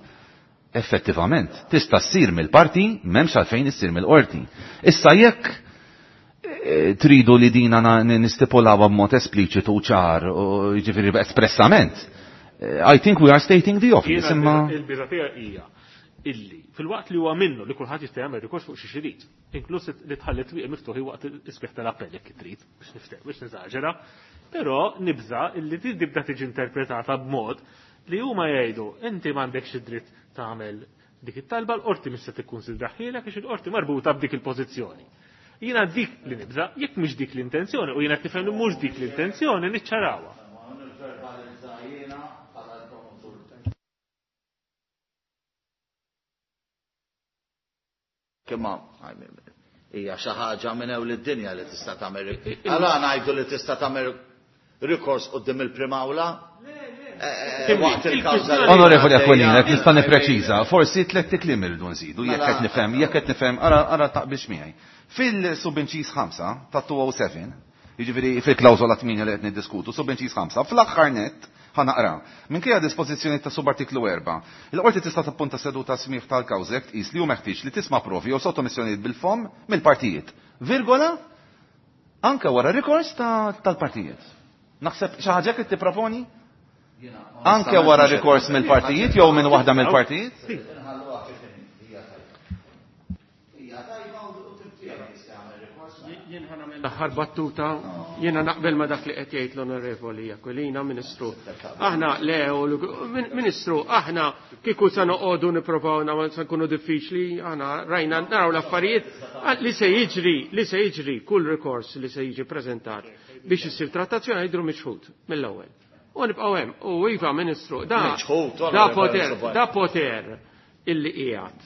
effettivament tista' ssir mill-parti m'hemmx għalfejn issir mill-qorti. Issa jekk tridu li dina nistipulawha b'mod espliċitu ċar, jiġifieri espressament, I think we are stating the obvious. Imma il-biża tiegħi hija illi fil-waqt li huwa minnu li kulħadd jista' jagħmel rikors fuq xi xirid, inkluż li tħalli twieq miftuħi waqt isbieħ tal-appell jekk trid biex nifteh biex neżaġera, però nibża illi tibda tiġi interpretata b'mod li huma jgħidu inti m'għandekx id-dritt tagħmel dik it-talba l-qorti mhix se tikkunsidraħielek għax il-qorti marbuta b'dik il-pożizzjoni. Jiena dik li nibża, jekk mhix dik l-intenzjoni u jiena tifhem li mhux dik l-intenzjoni niċċarawha. Imma hija xi ħaġa minn ewl id-dinja li tista' tagħmel. Għala ngħidu li tista' tagħmel rikors quddiem il-Prim'Awla? Waqt il-kawża. Onorevoli Aquilina, qed nista' nippreċiża, forsi tliet kliem irridu nżidu, jekk qed nifhem, jekk qed nifhem, ara ara taqbilx miegħi. Fil-subinċiż ħamsa ta' two oh seven, jiġifieri fil-klawżola tmienja li qed niddiskutu, subinċiż ħamsa, fl-aħħar nett ħanaqra. Minkejja dispożizzjoni ta' subartiklu erba', il-qorti tista' tappunta seduta smigħ tal-kawża jekk tqis li hu meħtieġ li tisma' provi jew sottomissjonijiet bil-fomm mill-partijiet. Virgola, anke wara rikors tal-partijiet. Naħseb xi ħaġa qed tipproponi? Anke wara rikors mill-partijiet jew minn waħda mill-partijiet? L-aħħar battuta jiena naqbel ma dak li qed jgħid l-Onorevoli Aquilina, Ministru. Aħna le, Ministru, aħna kieku se noqogħdu nipprovaw nagħmel se nkunu diffiċli, aħna rajna naraw l-affarijiet li se jiġri, li se jiġri kull rikors li se jiġi preżentat biex issir trattazzjoni jidhru miċħud mill-ewwel. U nibqgħu hemm. U iva, Ministru, da da poter, da poter illi qiegħed.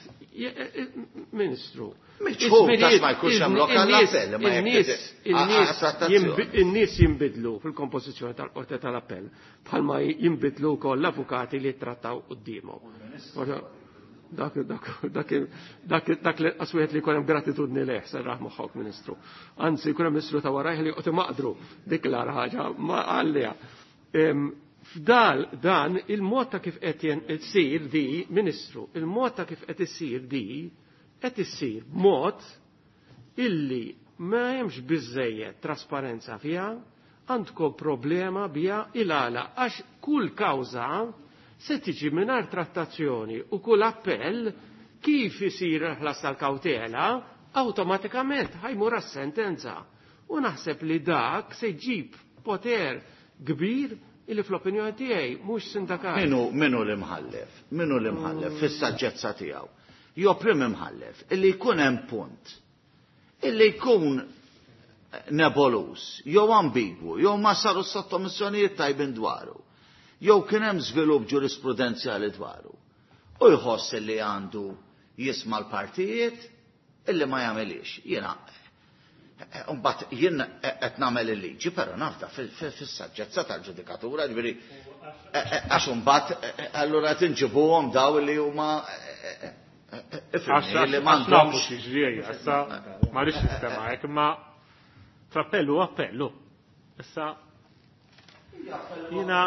Ministru, Miċħud għax ma jkunx hemm lok għall-appell, ma jekk In-nies in-nies għat-trattazzjoni. jimbi- in-nies jinbidlu fil-kompożizzjoni tal-qorti tal-appell bħalma jinbidlu wkoll l-avukati li trattaw quddiemhom. Dak dak dak dak dak li qaswiet li jkun hemm gratitudni leh serraħ moħħok Ministru. Anzi jkun hemm Ministru ta' warajh li joqgħod imaqdru dik l-agħar ħaġa ma għalliha. F'dal dan il-mod ta' kif qed issir di, Ministru, il-mod ta' kif qed issir di qed issir b'mod illi ma hemmx biżejjed trasparenza fiha, għandkom problema biha il-għala għax kull kawża se tiġi mingħajr trattazzjoni u kull appell kif isir il-ħlas tal-kawtela awtomatikament ħajmur għas-sentenza. U naħseb li dak se jġib poter kbir illi fl-opinjoni tiegħi mhux sindakali. Minu, minu l-imħallef, minu l-imħallef fis-saġġezza tiegħu. Jo prim imħallef illi jkun hemm punt illi jkun nebulous, jew ambigwu, jew ma saru sottomissjonijiet tajbin dwaru, jew kien hemm żvilupp ġurisprudenzjali dwaru. U jħoss illi għandu jisma' l-partijiet illi ma jagħmilix. Jiena mbagħad jien qed nagħmel il-liġi, però nafda fis-saġġezza tal-ġudikatura, ġifieri għax imbagħad allura tinġibuhom daw li huma Għax li nafu m'għandhomx x'jiġri ejja, issa ma rridx nistema' hekk, imma frappellu appellu. Issa jiena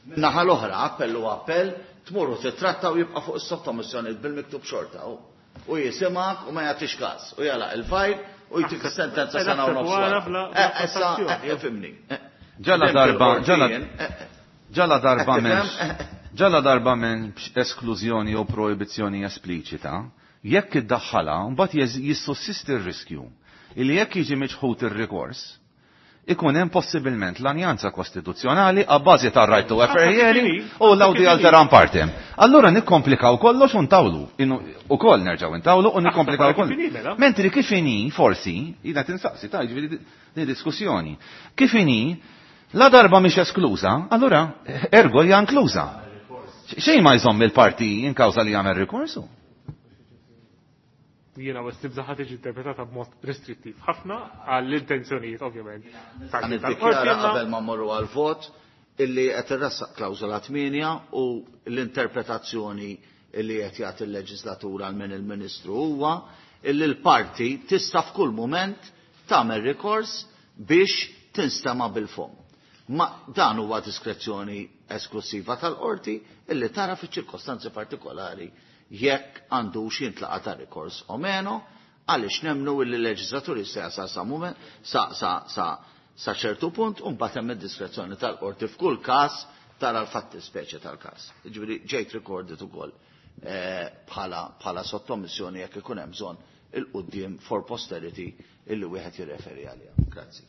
Naħa l-oħra, appellu appell, tmurru titratta u jibqa' fuq is-sottomissjoni bil-miktub xorta. U u jisimak u ma jagħtix każ u jagħlaq il-fajl u jtik is-sentenza sena u nofs wara. Naħseb wara bla- Eh, Issa, trattazzjoni. eh, fimni. Eh, Ġala darba, ġala il-qorti, eh, ġala darba Qed m'hemmx tifhem? ġala darba m'hemmx esklużjoni jew proibizzjoni espliċita, jekk iddaħħalha mbagħad jeż- jissussisti r-riskju illi jekk jiġi miċħud ir-rikors, ikun hemm possibilment lanjanza kostituzzjonali għabbażi tar-right to a fair hearing u l-audi alteram partem. Allura nikkomplikaw kollox u ntawlu. Inu- Ukoll nerġgħu ntawlu u nikkomplikaw kif inhi, kollox. mela? Mentri kif inhi, forsi, jina tinsaqsi, ta' ġifieri di diskussjoni. Kif inhi, la darba mhix eskluża, allura ergo hija inkluża. Xejn ma jżomm il-parti in kawża li jagħmel rikorsu. Jiena wis nibża' ħa tiġi interpretata b'mod restrittiv ħafna għall-intenzjonijiet ovvjament. Għan niddikjara qabel ma mmorru għal-vot illi qed irressaq klawżola tmienja u l-interpretazzjoni illi qed jagħti il-leġislatura għal min il-Ministru huwa illi l-parti tista' f'kull mument tagħmel rikors biex tinstema' bil-fom. Ma dan huwa diskrezzjoni esklusiva tal-qorti illi tara fiċ-ċirkostanzi partikolari jekk għandux jintlaqa ta' rikors o meno, għaliex nemnu illi l-leġislatur jista' jasal sa mument sa sa sa sa ċertu punt u mbagħad hemm id-diskrezzjoni tal-qorti f'kull każ tara l-fatti speċi tal-każ. Jiġifieri ġejt recorded ukoll eh, bħala bħala sottomissjoni jekk ikun hemm bżonn il-quddiem for posterity illi wieħed jirreferi għaliha. Grazzi.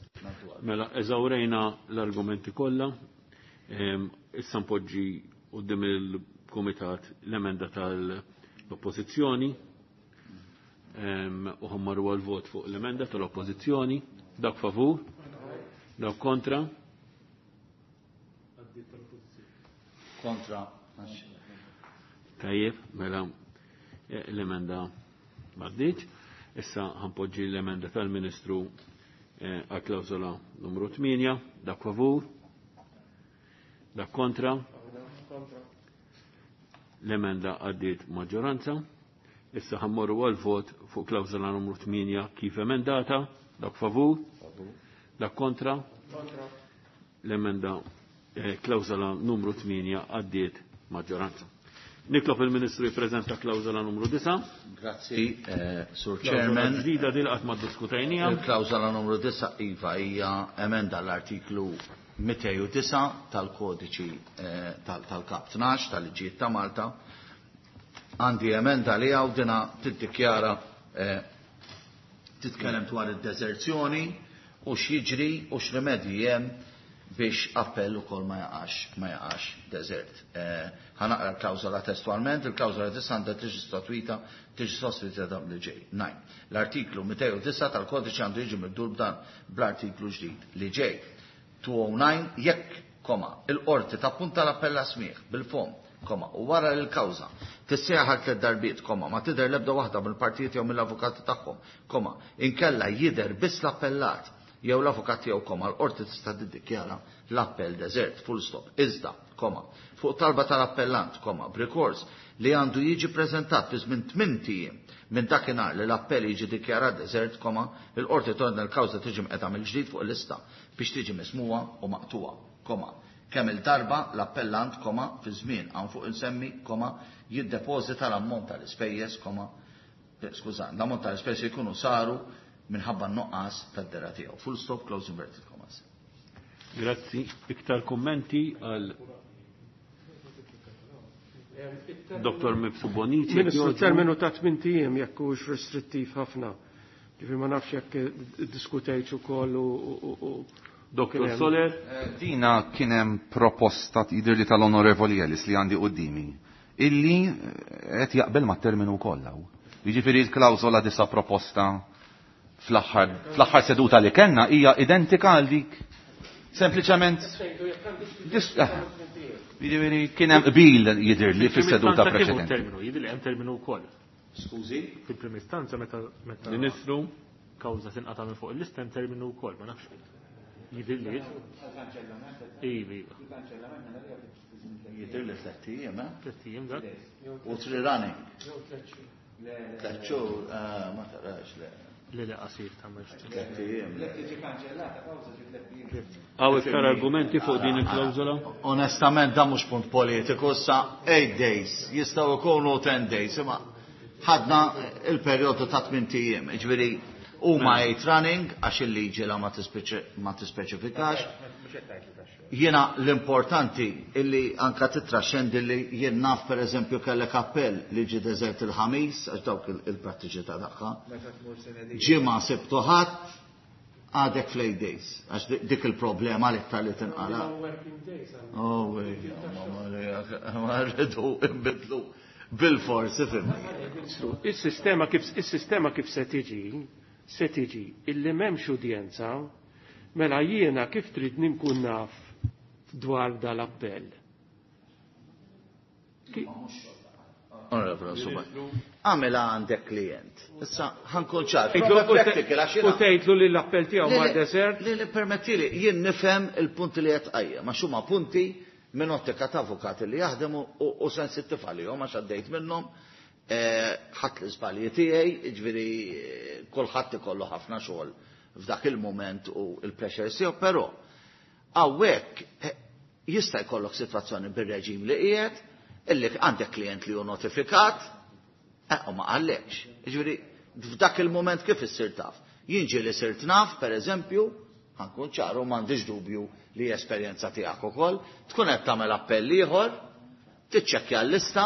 Mela, eżawrejna l-argumenti kollha. Ehm, Issa npoġġi quddiem il-Kumitat l-emenda tal-Oppożizzjoni. Ehm, U ħammaru għal-vot fuq l-emenda tal-Oppożizzjoni. Dak favur? Dak kontra? Kontra. Tajjeb, mela eh, l-emenda m'għaddietx. Issa ħanpoġġi l-emenda tal-Ministru eh, għal klawżola numru tmienja. Dak favur? Dak kontra? L-emenda għaddiet maġġoranza. Issa ħammorru għal vot fuq klawżola numru tmienja kif emendata. Dak favur? Dak kontra? L-emenda eh, klawżola numru tmienja għaddiet maġġoranza. Nitlob il-Ministru jippreżenta klawżola numru disgħa. Grazzi, eh, Sur Klawżola Chairman. ġdida dil qatt ma ddiskutejniha. Il-klawżola numru disgħa iva hija emenda l-artiklu mitejn u disgħa tal-kodiċi eh, tal- tal-Kap tnax tal-liġijiet ta' Malta. Għandi emenda li għaw dina tiddikjara eh, titkellem dwar id-deżerzjoni u x'jiġri u x'rimedji hemm biex appell ukoll ma jaqax ma jaqax deżert. Eh, Ħa naqra l-klawżola testualment, il-klawżola tista' għandha tiġi sostituita tiġi sostituita dan li ġej. Nine. L-artiklu mitejn u disgħa tal-kodiċi għandu jiġi mibdul b'dan bl-artiklu ġdid li ġej. two oh nine jekk, koma, il-qorti tappunta l-appell smigħ bil-fom koma, u wara li l-kawża tissejjaħ għal tliet darbiet, koma, ma tidher l-ebda waħda mill-partijiet jew mill-avukati tagħhom, koma, inkella jidher biss l-appellat jew l-avukat tiegħu, koma, l-qorti tista' tiddikjara l-appell deżert, full stop. Iżda, koma, fuq talba tal-appellant, koma, b'rikors li għandu jiġi preżentat fi żmien tmint ijiem minn dakinhar li l-appell jiġi dikjarat deżert, koma, il-qorti tordna l-kawża tiġi mqegħda mill-ġdid fuq il-lista biex tiġi mismuha u maqtuha, koma, kemm il-darba l-appellant, koma, fi żmien hawn fuq insemmi, koma, jiddepożita l-ammont tal-ispejjeż, koma, skuża, l-ammont tal-ispejjeż jkunu saru minħabba n-nuqqas tad-dera tiegħu. Full stop, close inverted commas. Grazzi. Iktar kummenti għal Doktor Mifsud Bonnici. Ministru, terminu ta' tmint ijiem jekk hux restrittiv ħafna. Ġifieri ma nafx jekk iddiskutejtx ukoll u Doktor Soler. Dina kien hemm proposta jidhirli tal-Onorevoli Ellis li għandi qudiemi illi qed jaqbel mat-terminu wkoll hawn. Jiġifieri l-klawżola disa proposta fl-aħħar fl-aħħar seduta li kellna hija identika għal dik. Sempliċement jiġifieri kien hemm qbil jidhirli fis-seduta preċedenti. Terminu, jidhirli hemm terminu wkoll. Skużi? Fil-prim istanza meta meta Ministru kawża tinqata' minn fuq il-lista hemm terminu wkoll, ma nafx. Jidhirli. Iva, iva. Jidhirli tliet ijiem, eh? Tliet ijiem dak. U three running. Tliet xhur, ma tarax le. Le le qasir ta' mhux. Tliet ijiem. Hawn iktar argumenti fuq din il-klawżola? Onestament dan mhux punt politiku, issa eight days, jistgħu jkunu ten days, imma ħadna il-perjodu ta' tmint ijiem, jiġifieri huma eight running għax il-liġi la ma tispeċifikax. Jiena l-importanti illi anka titraxxendi li jien naf pereżempju kellek appell li ġie deżert il-ħamis għax dawk il-prattiċità tagħha. Ġimgħa sibtu ħadd għadek fl-eight days, għax dik il-problema l-iktar li tinqala. Oh, ma rridu nbidlu bil-forsi, fimni. Is-sistema kif is-sistema kif se tiġi, se tiġi illi m'hemmx udjenza, mela jiena kif trid nkun naf dwar dal-appell. Għamela għandek klient. Issa ħankun ċar. U tgħidlu li l-appell tiegħu mar desert. Li li permettili, jien nifhem il-punti li qed tqajjem, għax huma punti minn ottika ta' avukati li jaħdemu u sensittiv għalihom għax għaddejt minnhom, ħadd l-iżbalji tiegħi, jiġifieri kulħadd ikollu ħafna xogħol f'dak il-mument u l-pressure tiegħu, però hawnhekk jista' jkollok sitwazzjoni bir-reġim li qiegħed illi għandek klient li hu notifikat, u ma qallekx. Jiġifieri f'dak il-mument kif issir taf? Jien ġieli sirt naf, pereżempju, ħankun ċaru m'għandix dubju li esperjenza tiegħek ukoll, tkun qed tagħmel appell ieħor, tiċċekkja l-lista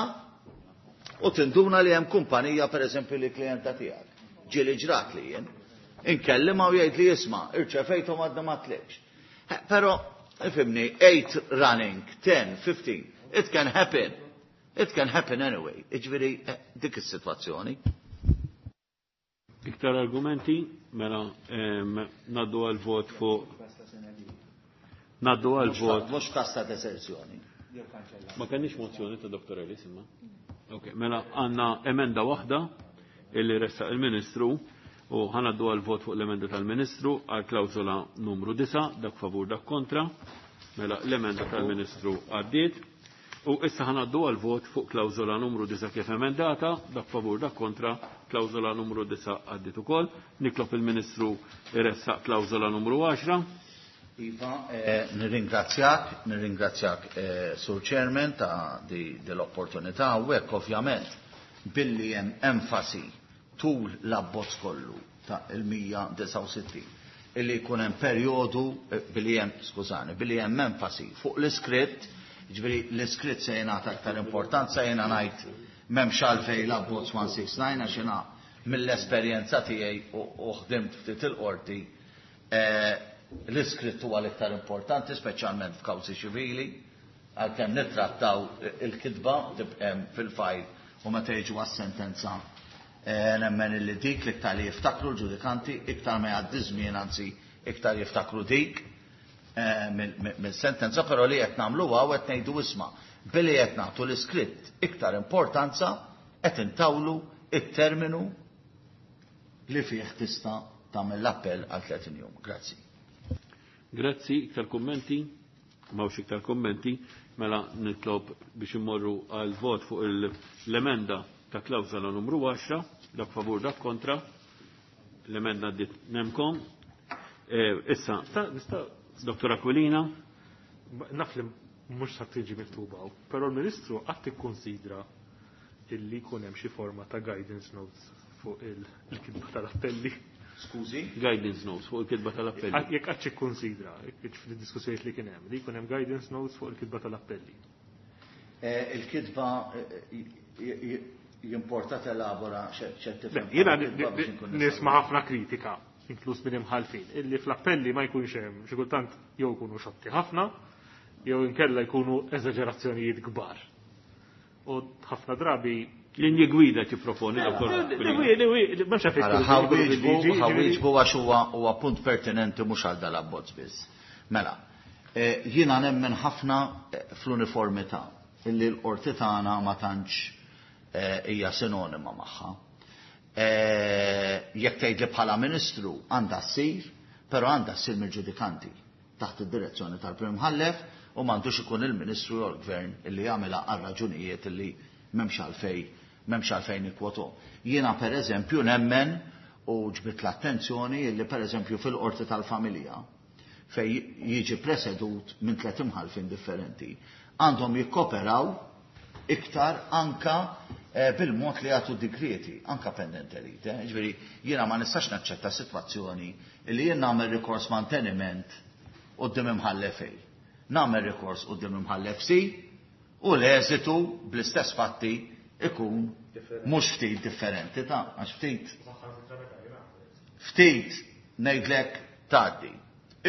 u tinduna li hemm kumpanija pereżempju li klijenta tiegħek. Ġieli ġrat li jien. Inkellimha u jgħid li isma' irċevejthom għadna ma tlekx. Però ifhimni, eight running, ten, fifteen, it can happen. It can happen anyway. Jiġifieri dik is-sitwazzjoni. Iktar argumenti, mela naddu għal vot fuq. Naddu għal vot. Mhux każ ta' deserzjoni. Ma kenniex mozzjoni ta' Doktor Ellis imma. Ok, mela għandna emenda waħda illi ressaq il-Ministru u ħanaddu għal vot fuq l-emenda tal-Ministru għal klawżola numru disa, dak favur dak kontra. Mela l-emenda tal-Ministru għaddiet. U issa ħanaddu għal vot fuq klawżola numru disa kif emendata, dak favur dak kontra, klawżola numru disa għaddiet ukoll. Nitlob il-Ministru iressaq klawżola numru għaxra. Iva, eh, nirringrazzjak, nirringrazzjak eh, Sur Chairman ta' di dell-opportunità u hekk ovvjament billi hemm enfasi tul l-abbozz kollu ta' il-mija disgħa u sittin illi jkun hemm perjodu billi hemm, skużani, billi hemm enfasi fuq l-iskritt, jiġifieri l-iskritt se jingħata aktar importanza, jiena ngħid m'hemmx għalfejn l-abbozz one six nine għax jiena mill-esperjenza tiegħi u ħdimt ftit il-qorti, l-iskritt huwa l-iktar importanti, speċjalment f'kawżi ċivili, għalkemm nittrattaw il-kitba tibqem fil-fajl u meta jiġu għas-sentenza nemmen illi dik l-iktar li jiftakru l-ġudikanti, iktar ma jgħaddi żmien, anzi iktar jiftakru dik mill-sentenza, però li qed nagħmluha u qed ngħidu isma' Billi qed nagħtu l-iskritt iktar importanza qed intawlu it-terminu li fih tista' tagħmel l-appell għal tletin jum. Grazzi. Grazzi, iktar kummenti? M'hawnx iktar kummenti, mela nitlob biex immorru għal vot fuq l-emenda ta' klawżola numru għaxra, dak favur dak kontra, l-emenda dit nemkom. Issa, Dottor Aquilina. Naf li mhux sa tiġi miktuba, però l-Ministru qatt ikkonsidra illi jkun hemm xi forma ta' guidance notes fuq il-kitba tal-appelli. Skużi? Guidance notes fuq il-kitba tal-appelli. Jekk qatt ikkonsidra, fid-diskussjonijiet li kien hemm, li jkun hemm guidance notes fuq il-kitba tal-appelli. Il-kitba jimporta telabora x'qed Jiena nisma' ħafna kritika, inkluż minn imħalfin, illi fl-appelli ma jkunx hemm xi kultant jew jkunu xotti ħafna, jew inkella jkunu eżaġerazzjonijiet kbar. U ħafna drabi linji gwida tipproponi doktor. Ħawieġbu għax huwa punt pertinenti mhux għal dal-abbozz biss. Mela, jiena nemmen ħafna fl-uniformità illi l-qorti tagħna ma tantx hija sinonima magħha. Jekk tgħid li bħala ministru għandha ssir, però għandha ssir mill-ġudikanti taħt id-direzzjoni tal-Prim Imħallef u m'għandux ikun il-Ministru jew l-Gvern illi jagħmilha għal raġunijiet illi m'hemmx għalfejn m'hemmx għalfejn ikkwotu. Jiena pereżempju nemmen u ġbit l-attenzjoni illi pereżempju fil-qorti tal-familja fej jiġi presedut minn tliet imħallfin differenti għandhom jikkoperaw iktar anka bil-mod li jagħtu digrieti, anka pendente lite. Ġifieri jiena ma nistax naċċetta sitwazzjoni li jien nagħmel rikors manteniment quddiem imħallef A, nagħmel rikors quddiem imħallef C u l-eżitu bl-istess fatti ikun mhux ftit differenti ta' għax ftit ftit ngħidlek tgħaddi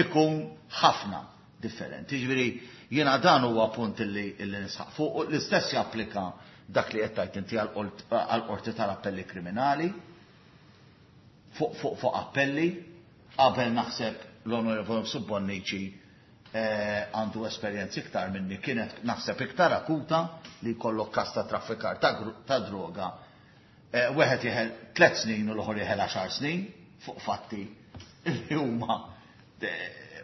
ikun ħafna differenti. Ġifieri jiena dan huwa punt illi nisħaq fuq, l-istess japplika dak li qed tgħid inti għall-qorti tal-appelli kriminali fuq fuq fuq appelli qabel naħseb l-Onorevoli Subbonnici għandu esperjenzi iktar minni, kienet naħseb iktar akuta li jkollok każ ta' traffikar ta' droga. Wieħed jeħel tliet snin u l-oħor jeħel għaxar snin fuq fatti li huma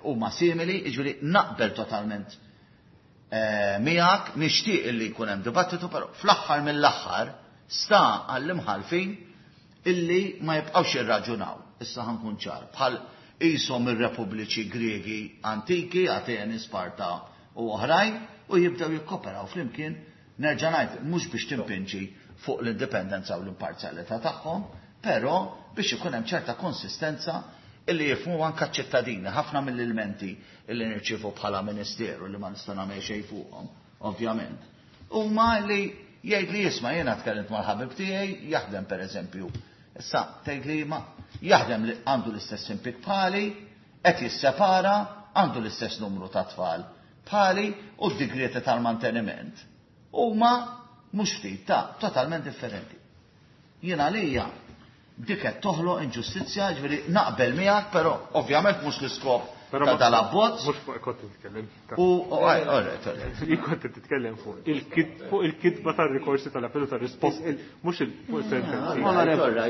huma simili, jiġifieri naqbel totalment miegħek, nixtieq illi jkun hemm dibattitu, però fl-aħħar mill-aħħar sta għall-imħalfin illi ma jibqgħux jirraġunaw. Issa ħankun ċar, bħal qishom ir-repubbliċi Griegi antiki, Ateni, Sparta u oħrajn, u jibdew jikkoperaw flimkien, nerġa' ngħid mhux biex timpinġi fuq l-indipendenza u l-imparzjalità tagħhom, però biex ikun hemm ċerta konsistenza illi jifhmu anke ċ-ċittadini. Ħafna mill-elementi illi nirċievu bħala ministeru li ma nista' nagħmel xejn fuqhom, ovvjament, huma li jgħid li jisma' jiena tkellimt mal-ħabib tiegħi jaħdem pereżempju. Issa tgħid li ma jaħdem li għandu l-istess impik bħali, qed jissepara, għandu l-istess numru ta' tfal bħali u d-digrieti tal-manteniment huma mhux ftit ta' totalment differenti. Jiena għalija dik qed toħloq inġustizzja, ġifieri naqbel miegħek, però ovvjament mhux l-iskop ta' dal-abbozz. Mhux fuq kont titkellem. U alright, alright. Jien kont titkellem fuq il-kitba tar-rikorsi tal-appellu tar-risposti, mhux fuq sentenzi. Onorevoli.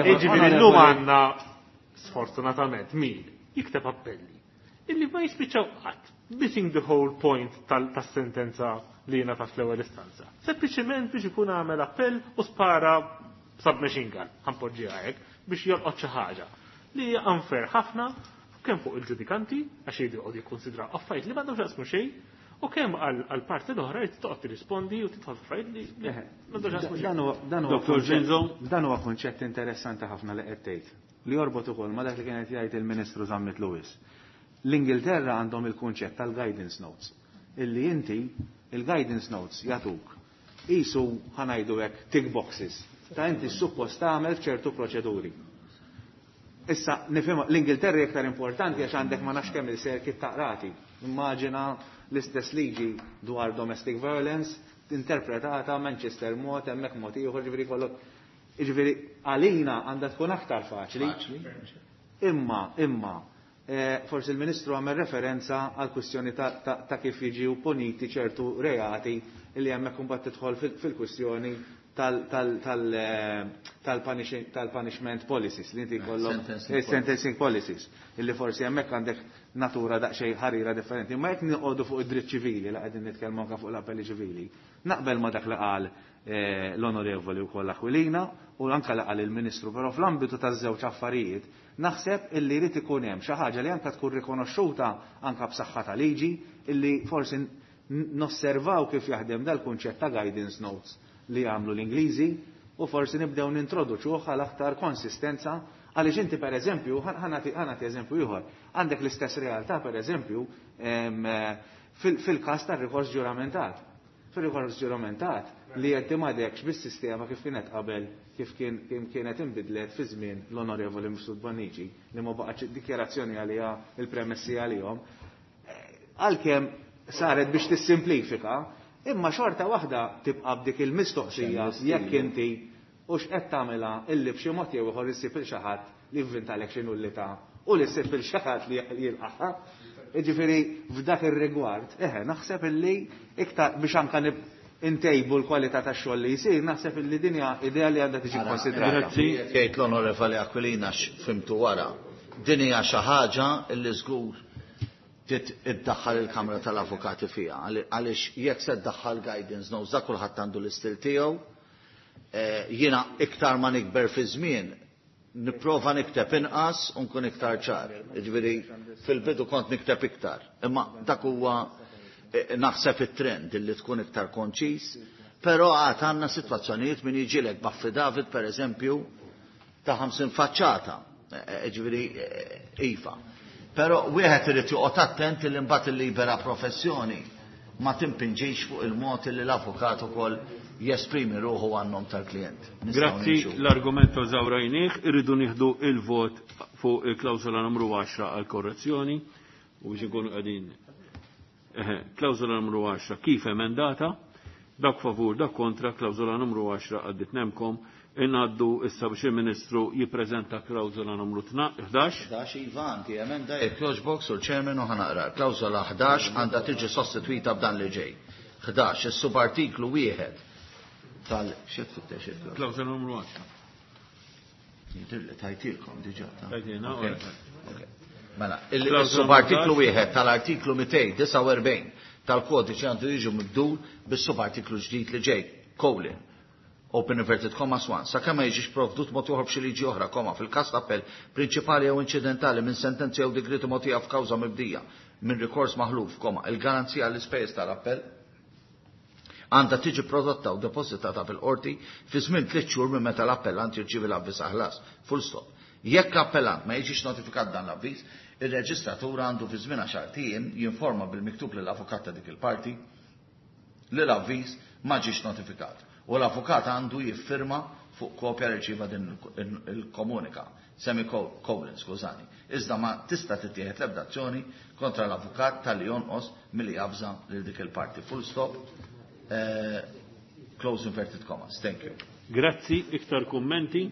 Jiġifieri llum għandna sfortunatament min jikteb appelli illi ma jispiċċaw qatt, missing the whole point tas-sentenza li jingħatat fl-ewwel istanza. Sempliċement biex ikun għamel appell u spara submachine gun, ħanpoġġiha hekk, biex jolqot xi ħaġa li hija unfair ħafna kemm fuq il-ġudikanti għax jgħidu jqogħdu jikkonsidraw affarijiet li m'għandhomx jaqsmu xejn, u kemm għall-parti l-oħra jrid toqgħod tirrispondi u tidħol f'affarijiet li m'għandhomx jaqsmu xejn. Dottor Zinzo. Dan huwa kunċett interessanti ħafna li qed tgħid, li jorbot ukoll ma dak li kienet jgħid il-Ministru Zammit Lewis. L-Ingilterra għandhom il-kunċett tal-guidance notes, illi inti il-guidance notes jagħtuk qisu ħanajdu hekk tick boxes ta' inti suppost tagħmel f'ċertu proċeduri. Issa nifhem l-Ingilterra iktar importanti għax għandek ma nafx kemm il-circuit ta' qrati. Immaġina l-istess liġi dwar domestic violence interpretata Manchester mod, hemmhekk mod ieħor, ġifieri kollok. Ġifieri għalina għandha tkun aktar faċli. Imma, imma, forsi il-Ministru għamel referenza għal kwistjoni ta' kif jiġu puniti ċertu reati Illi hemmhekk imbagħad tidħol fil-kwistjoni tal-punishment policies li inti jkollok sentencing policies illi forsi hemmhekk għandek natura daqsxejn ħarira differenti. Ma jekk noqogħdu fuq id-dritt ċivili la qegħdin nitkellmu anke fuq l-appelli ċivili, naqbel ma dak li qal l-onorevoli wkoll Aquilina u anke li qal il-Ministru, però fl-ambitu taż-żewġ affarijiet naħseb illi jrid ikun hemm xi ħaġa li anke tkun rikonoxxuta anke b'saħħa ta' liġi illi forsi nosservaw kif jaħdem dal-kunċett ta' guidance notes li għamlu l-Ingliżi u forsi nibdew nintroduċuh għal aktar konsistenza għaliex inti per eżempju, ħa nagħti eżempju ieħor, għandek l-istess realtà per eżempju fil-każ tar-rikors ġuramentat. Fil-rikors ġuramentat li inti m'għadekx bis-sistema kif kienet qabel kif kienet inbidlet fi żmien l-Onorevoli Mifsud Bonnici li ma baqgħetx dikjarazzjoni għaliha il-premessi għalihom. Għalkemm saret biex tissimplifika, imma xorta waħda tibqa' b'dik il-mistoqsija jekk inti u x'qed tagħmilha illi b'xi mod jew ieħor issib il xi ħadd li jivvintalek xi nullità u li ssib il xi ħadd li jilqaħha. Jiġifieri f'dak ir-rigward, eħe, naħseb illi iktar biex anke intejbu l-kwalità tax-xogħol li jsir, naħseb illi din hija idea li għandha tiġi konsidrata. Grazzi. Jgħid l-Onorevoli Aquilina x'fhimtu wara. Din hija xi ħaġa illi żgur iddaħħal il-Kamra tal-Avukati fiha, għaliex jekk se ddaħħal guidance notes da kulħadd għandu l-istil tiegħu. Jiena iktar ma nikber fi żmien nipprova nikteb inqas u nkun iktar ċar. Jiġifieri fil-bidu kont nikteb iktar. Imma dak huwa naħseb it-trend illi tkun iktar konċis, però għad għandna sitwazzjonijiet min jiġilek b'affidavit per eżempju ta' ħamsin faċċata, jiġifieri iva. Però wieħed irid joqgħod attent li mbagħad il-libera professjoni ma timpinġix fuq il-mod li l-avukat ukoll jesprimi ruħu għan-nom tal-klient. Grazzi, l-argument żawrajnieh, irridu nieħdu il-vot fuq il-klawsola numru għaxra għal korrezzjoni u biex inkunu qegħdin. Klawsola numru għaxra kif emendata, dak favur, dak kontra, klawsola numru għaxra għaddit nemkom. Inaddu issa biex il-Ministru jippreżenta klawsola numru ħdax. ħdax iva, anti emenda jekk jogħġbok sur Chairman u ħanaqra. Klawsola ħdax għandha tiġi sostitwita b'dan li ġej. Ħdax, is-subartiklu wieħed tal xi tfittex il-klawsola? Klawsola numru għaxra. Jidhirli tajtilkom diġà ta'. Tajtilna, ora. Mela, il-subartiklu wieħed tal-artiklu mitejn disgħa u erbgħin tal-kodiċi għandu jiġu mibdul bis-subartiklu ġdid li ġej, colon. Open inverted commas one. Sakemm ma jiġix provdut mod ieħor b'xi liġi oħra, koma, fil-każ ta' appell prinċipali jew inċidentali minn sentenzi jew digrieti mogħtija f'kawża mibdija minn rikors maħluf, koma, il-garanzija għall-ispejjeż tal-appell għandha tiġi prodotta u depożitata fil-qorti fi żmien tliet xhur minn meta l-appellant jirċievi l-avviż ħlas. Full stop. Jekk l-appellant ma jiġix notifikat dan l-avviż, ir-reġistratur għandu fi żmien għaxar ijiem jinforma bil-miktub lill-avukat ta' dik il-parti li l-avviż ma ġiex notifikat. U l-avukat għandu jiffirma fuq kopja li rċieva din il-komunika, semicolon, skużani. Iżda ma tista' tittieħed l-ebda azzjoni kontra l-avukat tal-li jonqos milli javża lil dik il-parti. Full stop. Eh, close inverted commas. Thank you. Grazzi, iktar kummenti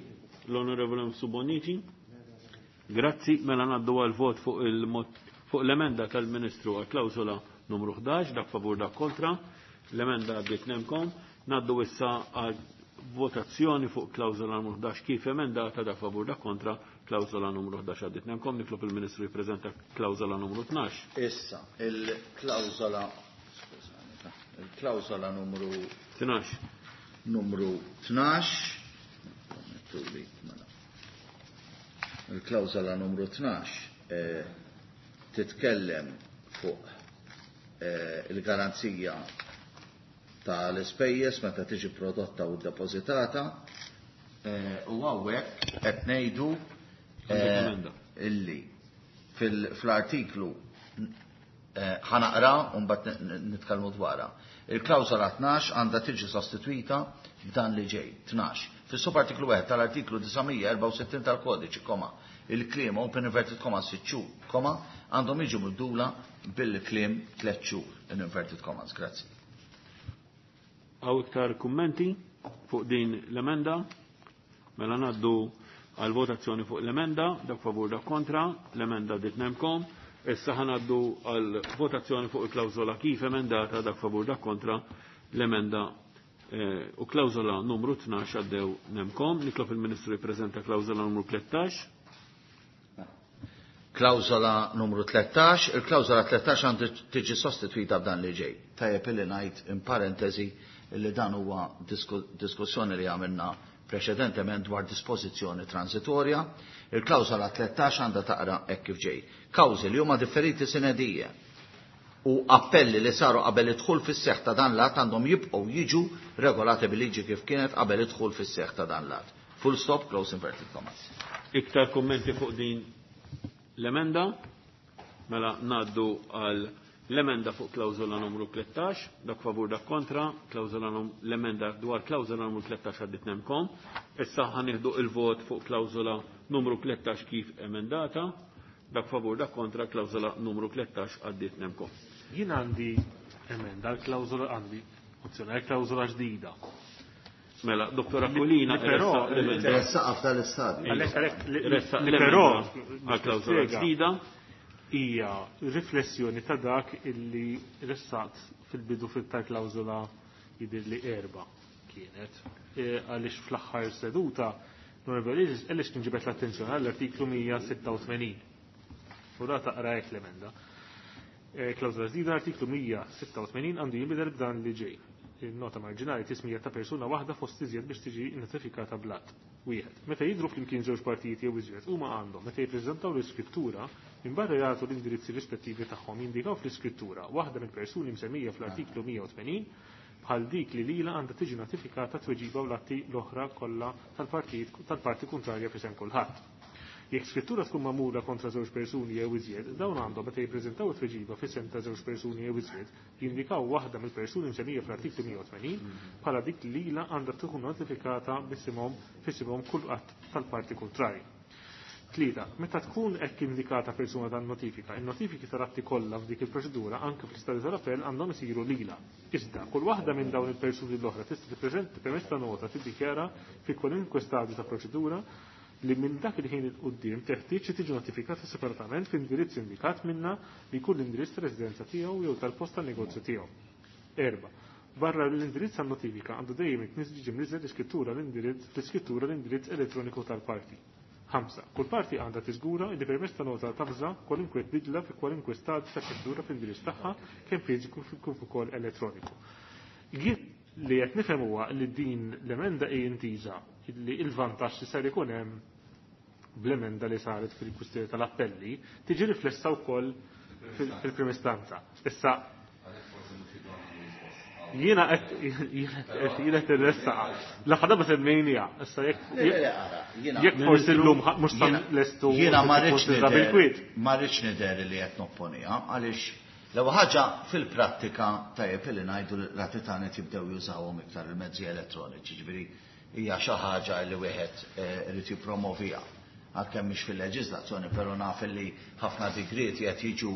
l-Onorevole Subonici. Grazzi, mela ngħaddu għal vot fuq il-mod fuq l-emenda tal-Ministru għal klawsola numru ħdax, dak favur dak kontra. L-emenda għaddiet nemkom. Ngħaddu issa għal votazzjoni fuq klawsola numru ħdax kif emendata, dak favur dak kontra. Klawsola numru ħdax għaddiet nemkom. Nitlob il-Ministru jippreżenta klawsola numru tnax. Issa, il-klawsola, skużani, il-klawsola numru tnax. Numru tnax. Il-klawsola numru tnax, eh, titkellem fuq, eh, il-garanzija tal-ispejjeż meta tiġi prodotta u ddepożitata, eh, u hawnhekk qed ngħidu, eh, illi fil-, fl-artiklu, eh, ħanaqra u mbagħad n-, n-, nitkellmu dwarha. Il-klawsola tnax għandha tiġi sostitwita b'dan li ġej. Tnax. Fis-subartiklu wieħed tal-artiklu disa' mija erbgħa u sittin tal-kodiċi, koma, il-kliem open inverted commas sitt xhur, koma, għandhom jiġu mibdula bil-kliem tliet xhur in inverted commas. Grazzi. Hawn iktar kummenti fuq din l-emenda? Mela ngħaddu għal votazzjoni fuq l-emenda, dak favur dak kontra, l-emenda dit nemkom. Issa ħanaddu għal votazzjoni fuq il-klawżola kif emendata, dak favur dak kontra, L-emenda eh, u klawżola numru tnax għaddew nemkom. Nitlob il-Ministru jippreżenta klawżola numru tlettax. Klawżola numru tlettax, il-klawżola tlettax għandu tiġi sostitwita b'dan li ġej. Tajjeb illi ngħid in parentesi li dan huwa diskussjoni li għamilna preċedentement dwar dispożizzjoni transitorja. Il-klawżola tlettax għandha taqra hekk kif ġej. Kawżi li huma differiti sinedije u appelli li saru qabel idħul fis-seħħ ta' dan l-att għandhom jibqgħu jiġu regolati bil-liġi kif kienet qabel idħul fis-seħħ ta' dan l-att. Full stop, close inverted commas. Iktar kummenti fuq din l-emenda? Mela ngħaddu għal l-emenda fuq klawżola numru tlettax, dak favur dak kontra, klawżola l-emenda dwar klawżola numru tlettax għaddit nemkom. Issa ħanieħdu il-vot fuq klawżola numru tlettax kif emendata, dak favur dak kontra, klawżola numru tlettax għaddit nemkom. Jien għandi emenda l-klawżola għandi mozzjoni għal klawżola ġdida. Mela, Dottor Aquilina, però ressaq f'dal-istadju. Għalhekk li però għal klawżola ġdida hija riflessjoni ta' dak illi ressaqt fil-bidu tal-klawżola jidher li erba' kienet. Għaliex fl-aħħar seduta Norberg għaliex tinġibet l-attenzjoni għall-artiklu mija sitta u tmenin. U da taqra hekk l-emenda. Klawżola ġdida artiklu mija sitta u tmenin għandu jinbidel b'dan li ġej. Il-nota marġinali tismija ta' persuna waħda fost iżjed biex tiġi notifikata blat. Wieħed. Meta jidhru flimkien żewġ partijiet jew iżjed huma għandhom meta jippreżentaw l-iskrittura minbarra jagħtu l-indirizzi rispettivi tagħhom jindikaw fl-iskrittura waħda mill-persuni msemmija fl-artiklu mija u tmenin bħal dik li lila għandha tiġi notifikata tweġiba u l-atti l-oħra kollha tal-partijiet tal-parti kontrarja f'isem kulħadd. Jekk skrittura tkun magħmula kontra żewġ persuni jew iżjed, dawn għandhom meta jippreżentaw it-tweġiba f'isem ta' żewġ persuni jew iżjed, jindikaw waħda mill-persuni msemmija fl-artiklu mija u tmenin bħala dik li lila għandha tkun notifikata bisimhom f'isimhom kull qatt tal-parti kontrarja. Tlieta, meta tkun hekk indikata persuna tan-notifika, in-notifiki tal-atti kollha f'dik il-proċedura anke fl-istadju tal-appell għandhom isiru lila. Iżda, kull waħda minn dawn il-persuni l-oħra tista' tippreżenta permezz ta' nota tiddikjara fi kwalunkwe stadju ta' proċedura li minn dak il-ħin il quddiem teħtieġ li tiġi notifikata separatament f'indirizz indikat minna li jkun l-indirizz ta' residenza tiegħu jew tal-post tan-negozju tiegħu. Erba, barra l-indirizz tan-notifika għandu dejjem jiġi mniżżel l-iskrittura l-indirizz fl-iskrittura l-indirizz elettroniku tal-parti. Ħamsa, kull parti għandha tiżgura li permezz ta' nota tafża kwalunkwe bidla fi kwalunkwe stadju ta' proċedura fl-indirizz tagħha kemm fiżiku kif ukoll elettroniku. Jien li qed nifhem huwa li din l-emenda hi intiża li l-vantaġġ li ser ikun hemm bl-emenda li saret fil-kwistjoni tal-appelli tiġi riflessa wkoll fil-prim istanza. Issa jiena qed jiena qed irressaqa. L-aħħar darba semmejniha. Issa jekk jekk forsi llum mhux sa lestu Jiena ma rridx bil-kwiet. Ma rridx nidher li qed nopponiha għaliex l-ewwel ħaġa fil-prattika tajjeb li ngħidu l-ratitani jibdew jużawhom iktar il-mezzi elettroniċi, ġifieri hija xi ħaġa li wieħed irid jippromovija. Għalkemm mhix fil-leġiżlazzjoni, però naf li ħafna digrieti qed jiġu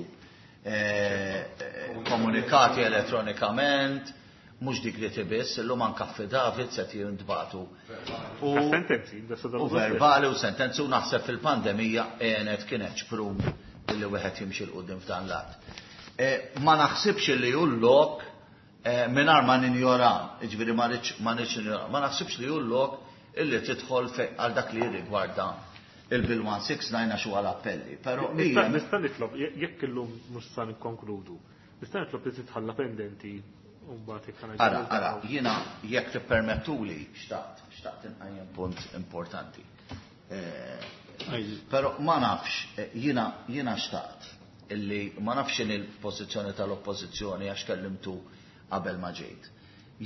komunikati elettronikament, mhux digrieti biss, illum anke affidavits qed jintbagħtu. U sentenzi, u verbali u sentenzi, u naħseb fil-pandemija għenet kienet ċprum illi wieħed jimxi l quddiem f'dan l-att. Ma naħsibx li hu lok mingħajr ma ninjora, jiġifieri ma rridx ma rridx ninjora, ma naħsibx li hu lok illi tidħol għal dak li jirrigwarda il-Bill one six nine għax huwa l-appelli. Però Nista' hija nista' nitlob, jekk illum mhux sa nikkonkludu, nista' nitlob li titħalla pendenti u mbagħad jekk ħana Ara, ara, jiena jekk tippermettuli xtaqt, xtaqt inqajjem punt importanti. Però ma nafx, jiena, jiena xtaqt illi ma nafx x'inhi l-pożizzjoni tal-oppożizzjoni għax kellimtu qabel ma ġejt.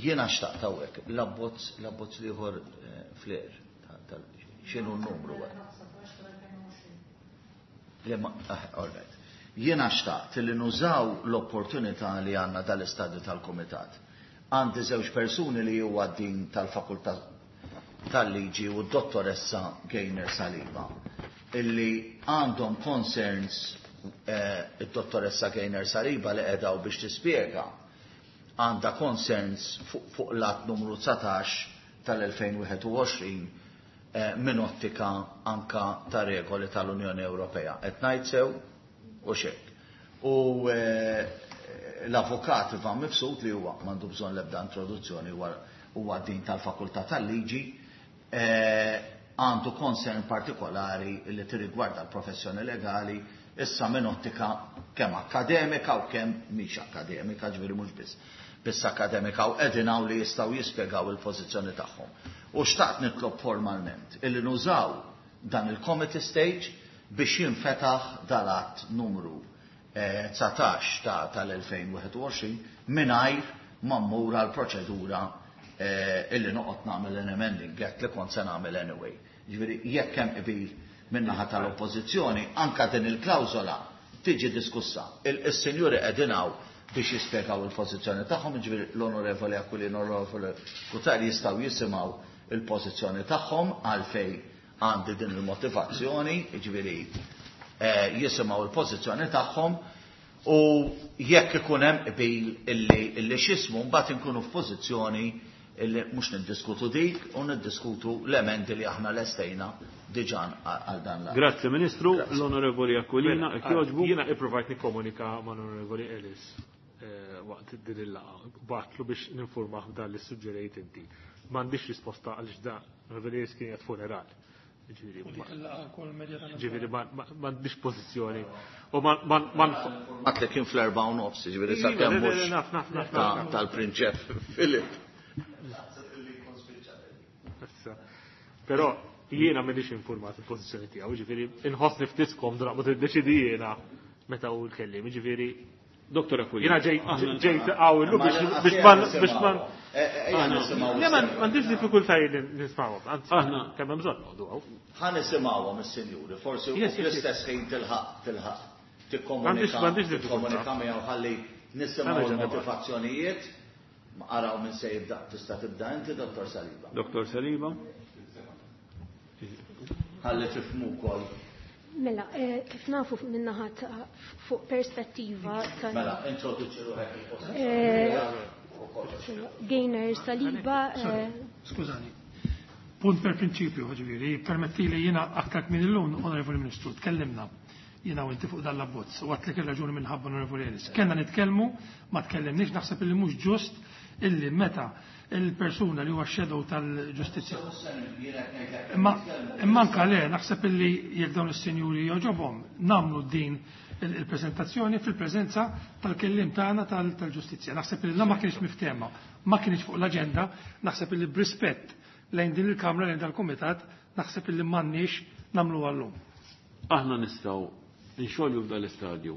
Jiena xtaqt hawnhekk l-abbozz, l-abbozz l-ieħor fl-er, x'inhu n-numru hekk? Le ma, ah, all right. Jiena xtaqt li nużaw l-opportunità li għandna dal-istadju tal-Kumitat. Għandi żewġ persuni li huwa din tal-Fakultà tal-Liġi u d-dottoressa Gaynor Saliba illi għandhom concerns, eh, id-dottoressa Gaynor Saliba li qiegħda biex tispjega għandha concerns fuq, fuq l-att numru dsatax tal-elfejn wieħed u għoxrin, eh, minn ottika anka ta' regoli tal-Unjoni Ewropea. Qed ngħid sew u xejn. U, eh, l-avukat Ivan Mifsud li huwa m'għandu bżonn l-ebda introduzzjoni huwa din tal-Fakultà tal-Liġi, għandu concern partikolari li tirrigwarda l-professjoni legali issa minn ottika kemm akademika u kemm mhix akademika, ġifieri mhux biss biss akademika, u qegħdin hawn li jistgħu jispjegaw il-pożizzjoni tagħhom. U xtaqt nitlob formalment illi nużaw dan il-committee stage biex jinfetaħ dal-att numru dsatax tal-elfejn wieħed u għoxrin mingħajr ma mmur għall-proċedura illi noqgħod nagħmel an amending act li kont se nagħmel anyway. Ġifieri jekk hemm qbil min-naħa tal-Oppożizzjoni, anka din il-klawżola tiġi diskussa. Is-sinjuri qegħdin hawn biex jispjegaw il-pożizzjoni tagħhom, ġifieri l-Onorevoli Aquilina u l-Onorevoli Cutajar jistgħu jisimgħu il-pożizzjoni tagħhom għalfejn għandi din il-motivazzjoni, ġifieri jisimgħu il-pożizzjoni tagħhom, u jekk ikun hemm qbil illi illi x'ismu mbagħad inkunu f'pożizzjoni illi mhux niddiskutu dik u niddiskutu l-emendi li aħna lestejna diġà għal dan l-att. Grazzi Ministru, l-Onorevoli Aquilina, jogħġbu. Jiena ippruvajt nikkomunika mal-Onorevoli Ellis waqt din il-laqgħa, bagħtlu biex ninformah b'dan li suġġerejt inti. M'għandix risposta għaliex da l-Onorevoli Ellis kien qed funeral. Ġifieri m'għandix pożizzjoni. U ma Għat li kien fl-erba' u nofs, ġifieri sakemm mhux tal-Prinċep Filip. Però jiena m'għandix informat il-pożizzjoni tiegħu, ġifieri inħossni ftit skomdu naqbad iddeċidi jiena meta hu l-kelliem, ġifieri Dottor Aquilina. Jiena ġejt hawn illum biex biex ma Le m'għandix diffikultajiet li nismawhom, anzi kemm hemm bżonn noqogħdu hawn. Ħa nisimgħuhom is-sinjuri, forsi fl-istess ħin tilħaq tilħaq tikkomunika miegħu ħalli nisimgħu l-motivazzjonijiet. Araw minn se jibda, tista' tibda inti, Dottor Saliba. Dottor Saliba. Ħalli tifhmu wkoll. Mela, kif nafu minnaħa fuq perspettiva ta' Mela, introduċi ruħek il-post. Gaynor Saliba. Skużani. Punt per prinċipju, ġifieri, permetti li jiena aktar minn illum, Onorevoli Ministru, tkellimna jiena u inti fuq dan l-abbozz, u għatlek il-raġuni minħabba Onorevoli Ellis. Kellna nitkellmu, ma tkellimniex, naħseb illi mhux ġust illi meta il-persuna li huwa shadow tal-ġustizzja. Imma imma anka le, naħseb illi jekk dawn is-sinjuri joġobhom nagħmlu din il-preżentazzjoni fil-preżenza tal-kellim tagħna tal-ġustizzja. Naħseb illi la ma kienx miftehma, ma kienx fuq l-aġenda, naħseb illi b'rispett lejn din il-Kamra, lejn dal-Kumitat, naħseb illi m'għandniex nagħmlu għallum. Aħna nistgħu nxolju f'dan l-istadju.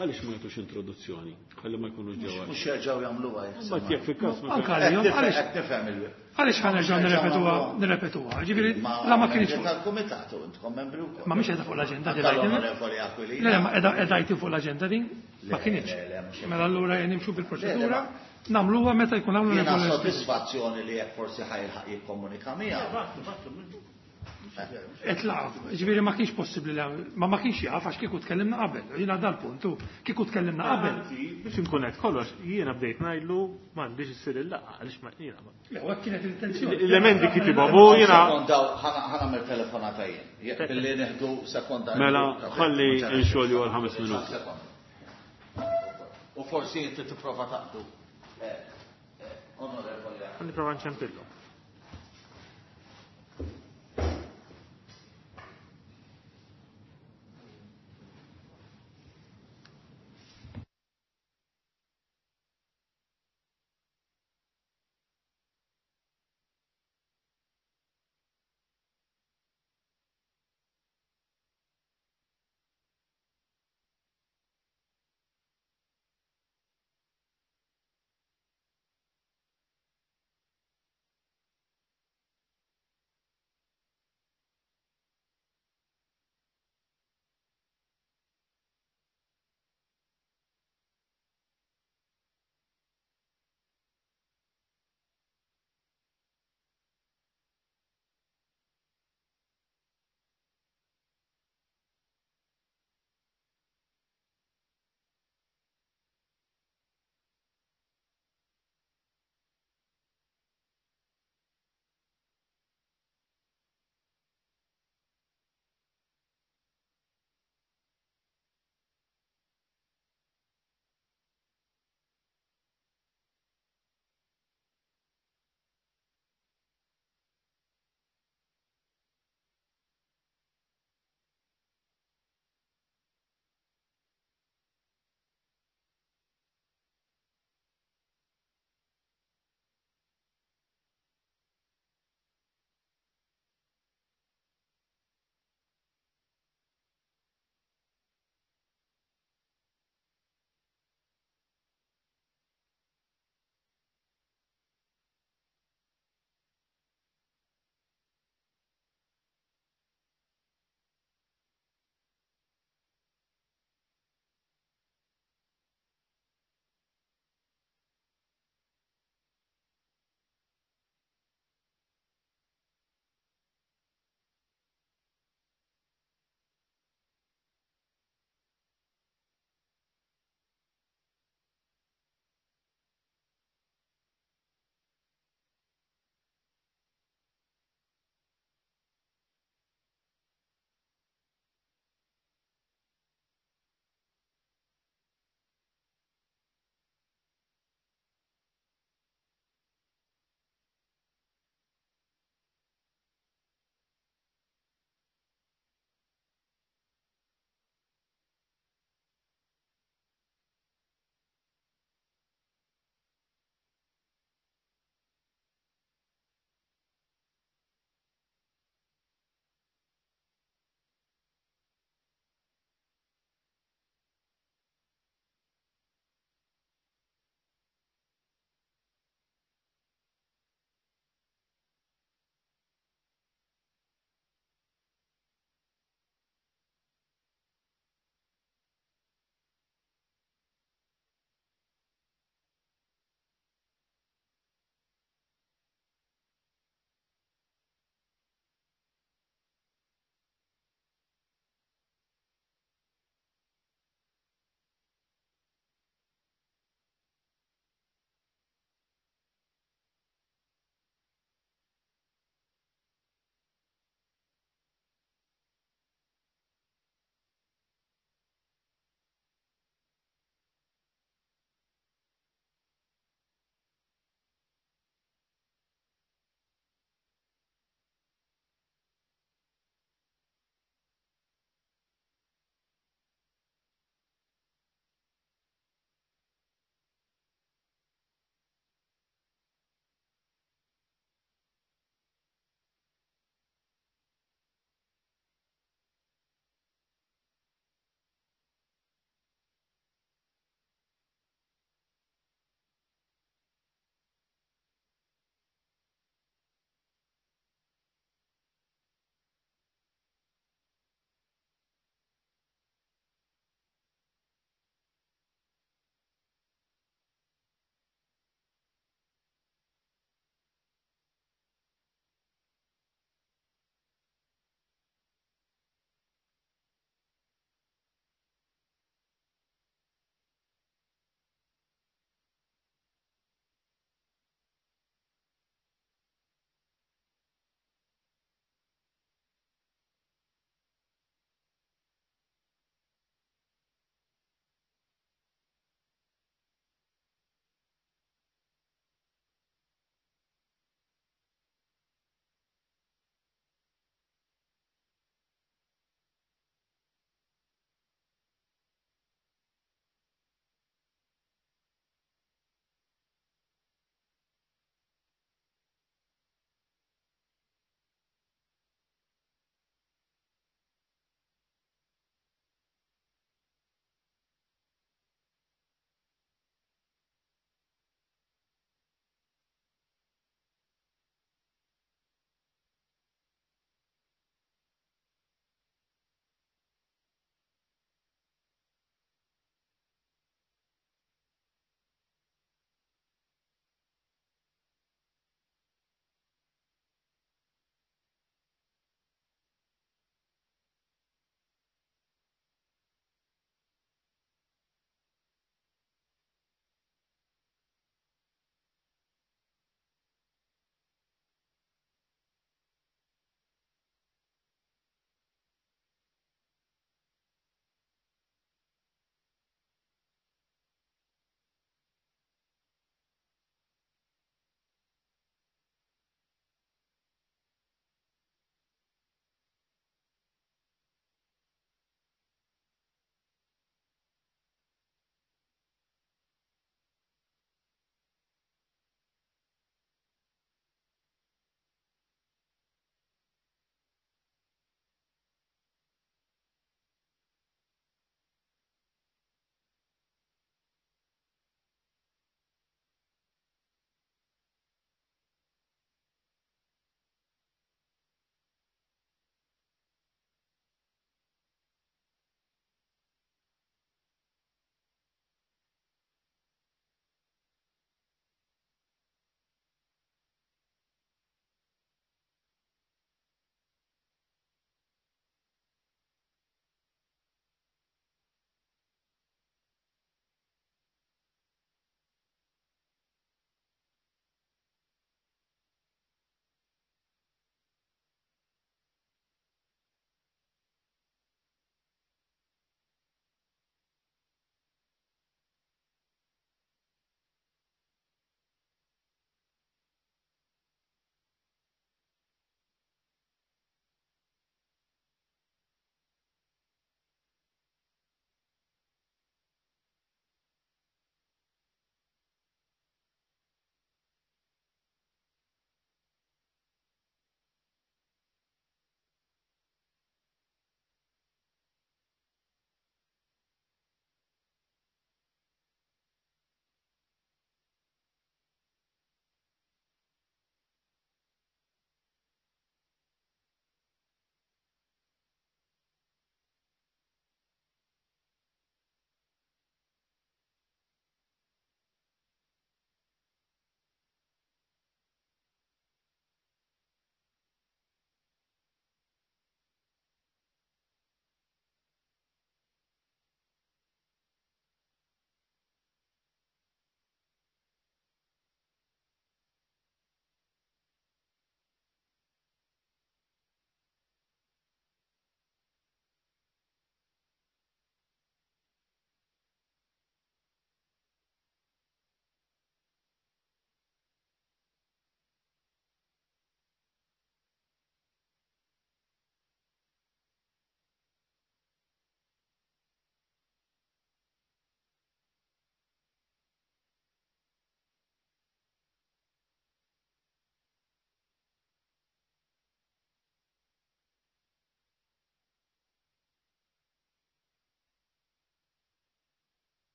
Għaliex ma jagħtux introduzzjoni? Ħalli ma jkunux ġewwa. Mhux jerġgħu jagħmluha jekk. Mbagħad jekk fil-każ ma Anka għalihom, għaliex għaliex ħa nerġgħu nirrepetuha nirrepetuha. Ġifieri la ma kienx fuq tal-kumitat u intkom membri wkoll. Ma mhix qiegħda fuq l-aġenda din. L-Onorevoli Aquilina. Le, ma qiegħda qiegħda fuq l-aġenda din? Ma kienx. Mela allura nimxu bil-proċedura, nagħmluha meta jkun hawn Jiena sodisfazzjoni li jekk forsi ħajlħaq jikkomunika miegħu. Etlaq, ġifieri ma kienx possibbli li ma ma kienx jaf għax kieku tkellimna qabel. Jiena dal-punt, kieku tkellimna qabel. Biex inkun qed kollox, jiena bdejt ngħidlu m'għandix issir il-laqgħa għaliex ma jiena. Le, hekk kienet l-intenzjoni. L-emendi kitibhom u jiena. Ħa nagħmel telefonata jien. Jekk billi nieħdu sekonda. Mela ħalli nxolju għal ħames minuti. U forsi inti tipprova taqdu. Onorevoli. Ħa nipprova nċempillu.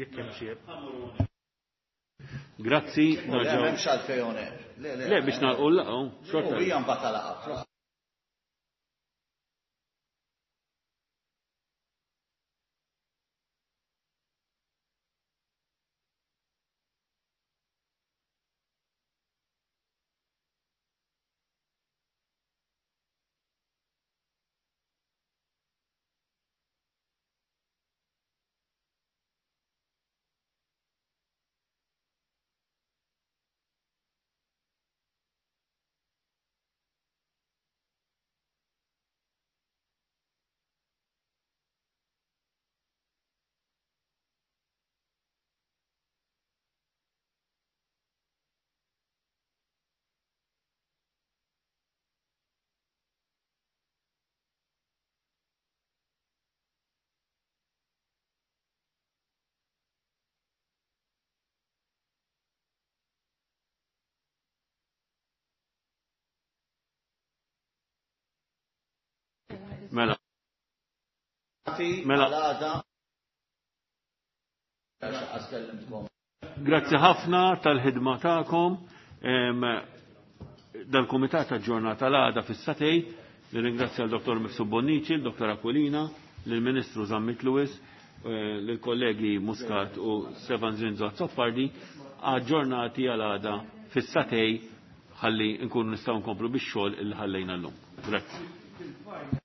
jekk hemm xi. Grazzi. Le, m'hemmx għalfejn on air. Le, le. Le, biex nagħlqu l-laqgħa, xorta. U hija mbagħad laqgħa. Mela. Mela. Grazzi ħafna tal-ħidma tagħkom. Dal-Kumitat aġġornata l-għada fis-satej. Nirringrazzja l-Dottor Mifsud Bonnici, l-Dottor Aquilina, lill-Ministru Zammit Lewis, lill-kollegi Muscat u Stefan Zinzo Azzopardi, aġġornati għal-għada fis-satej ħalli nkunu nistgħu nkomplu bix-xogħol illi ħallejna llum. Grazzi.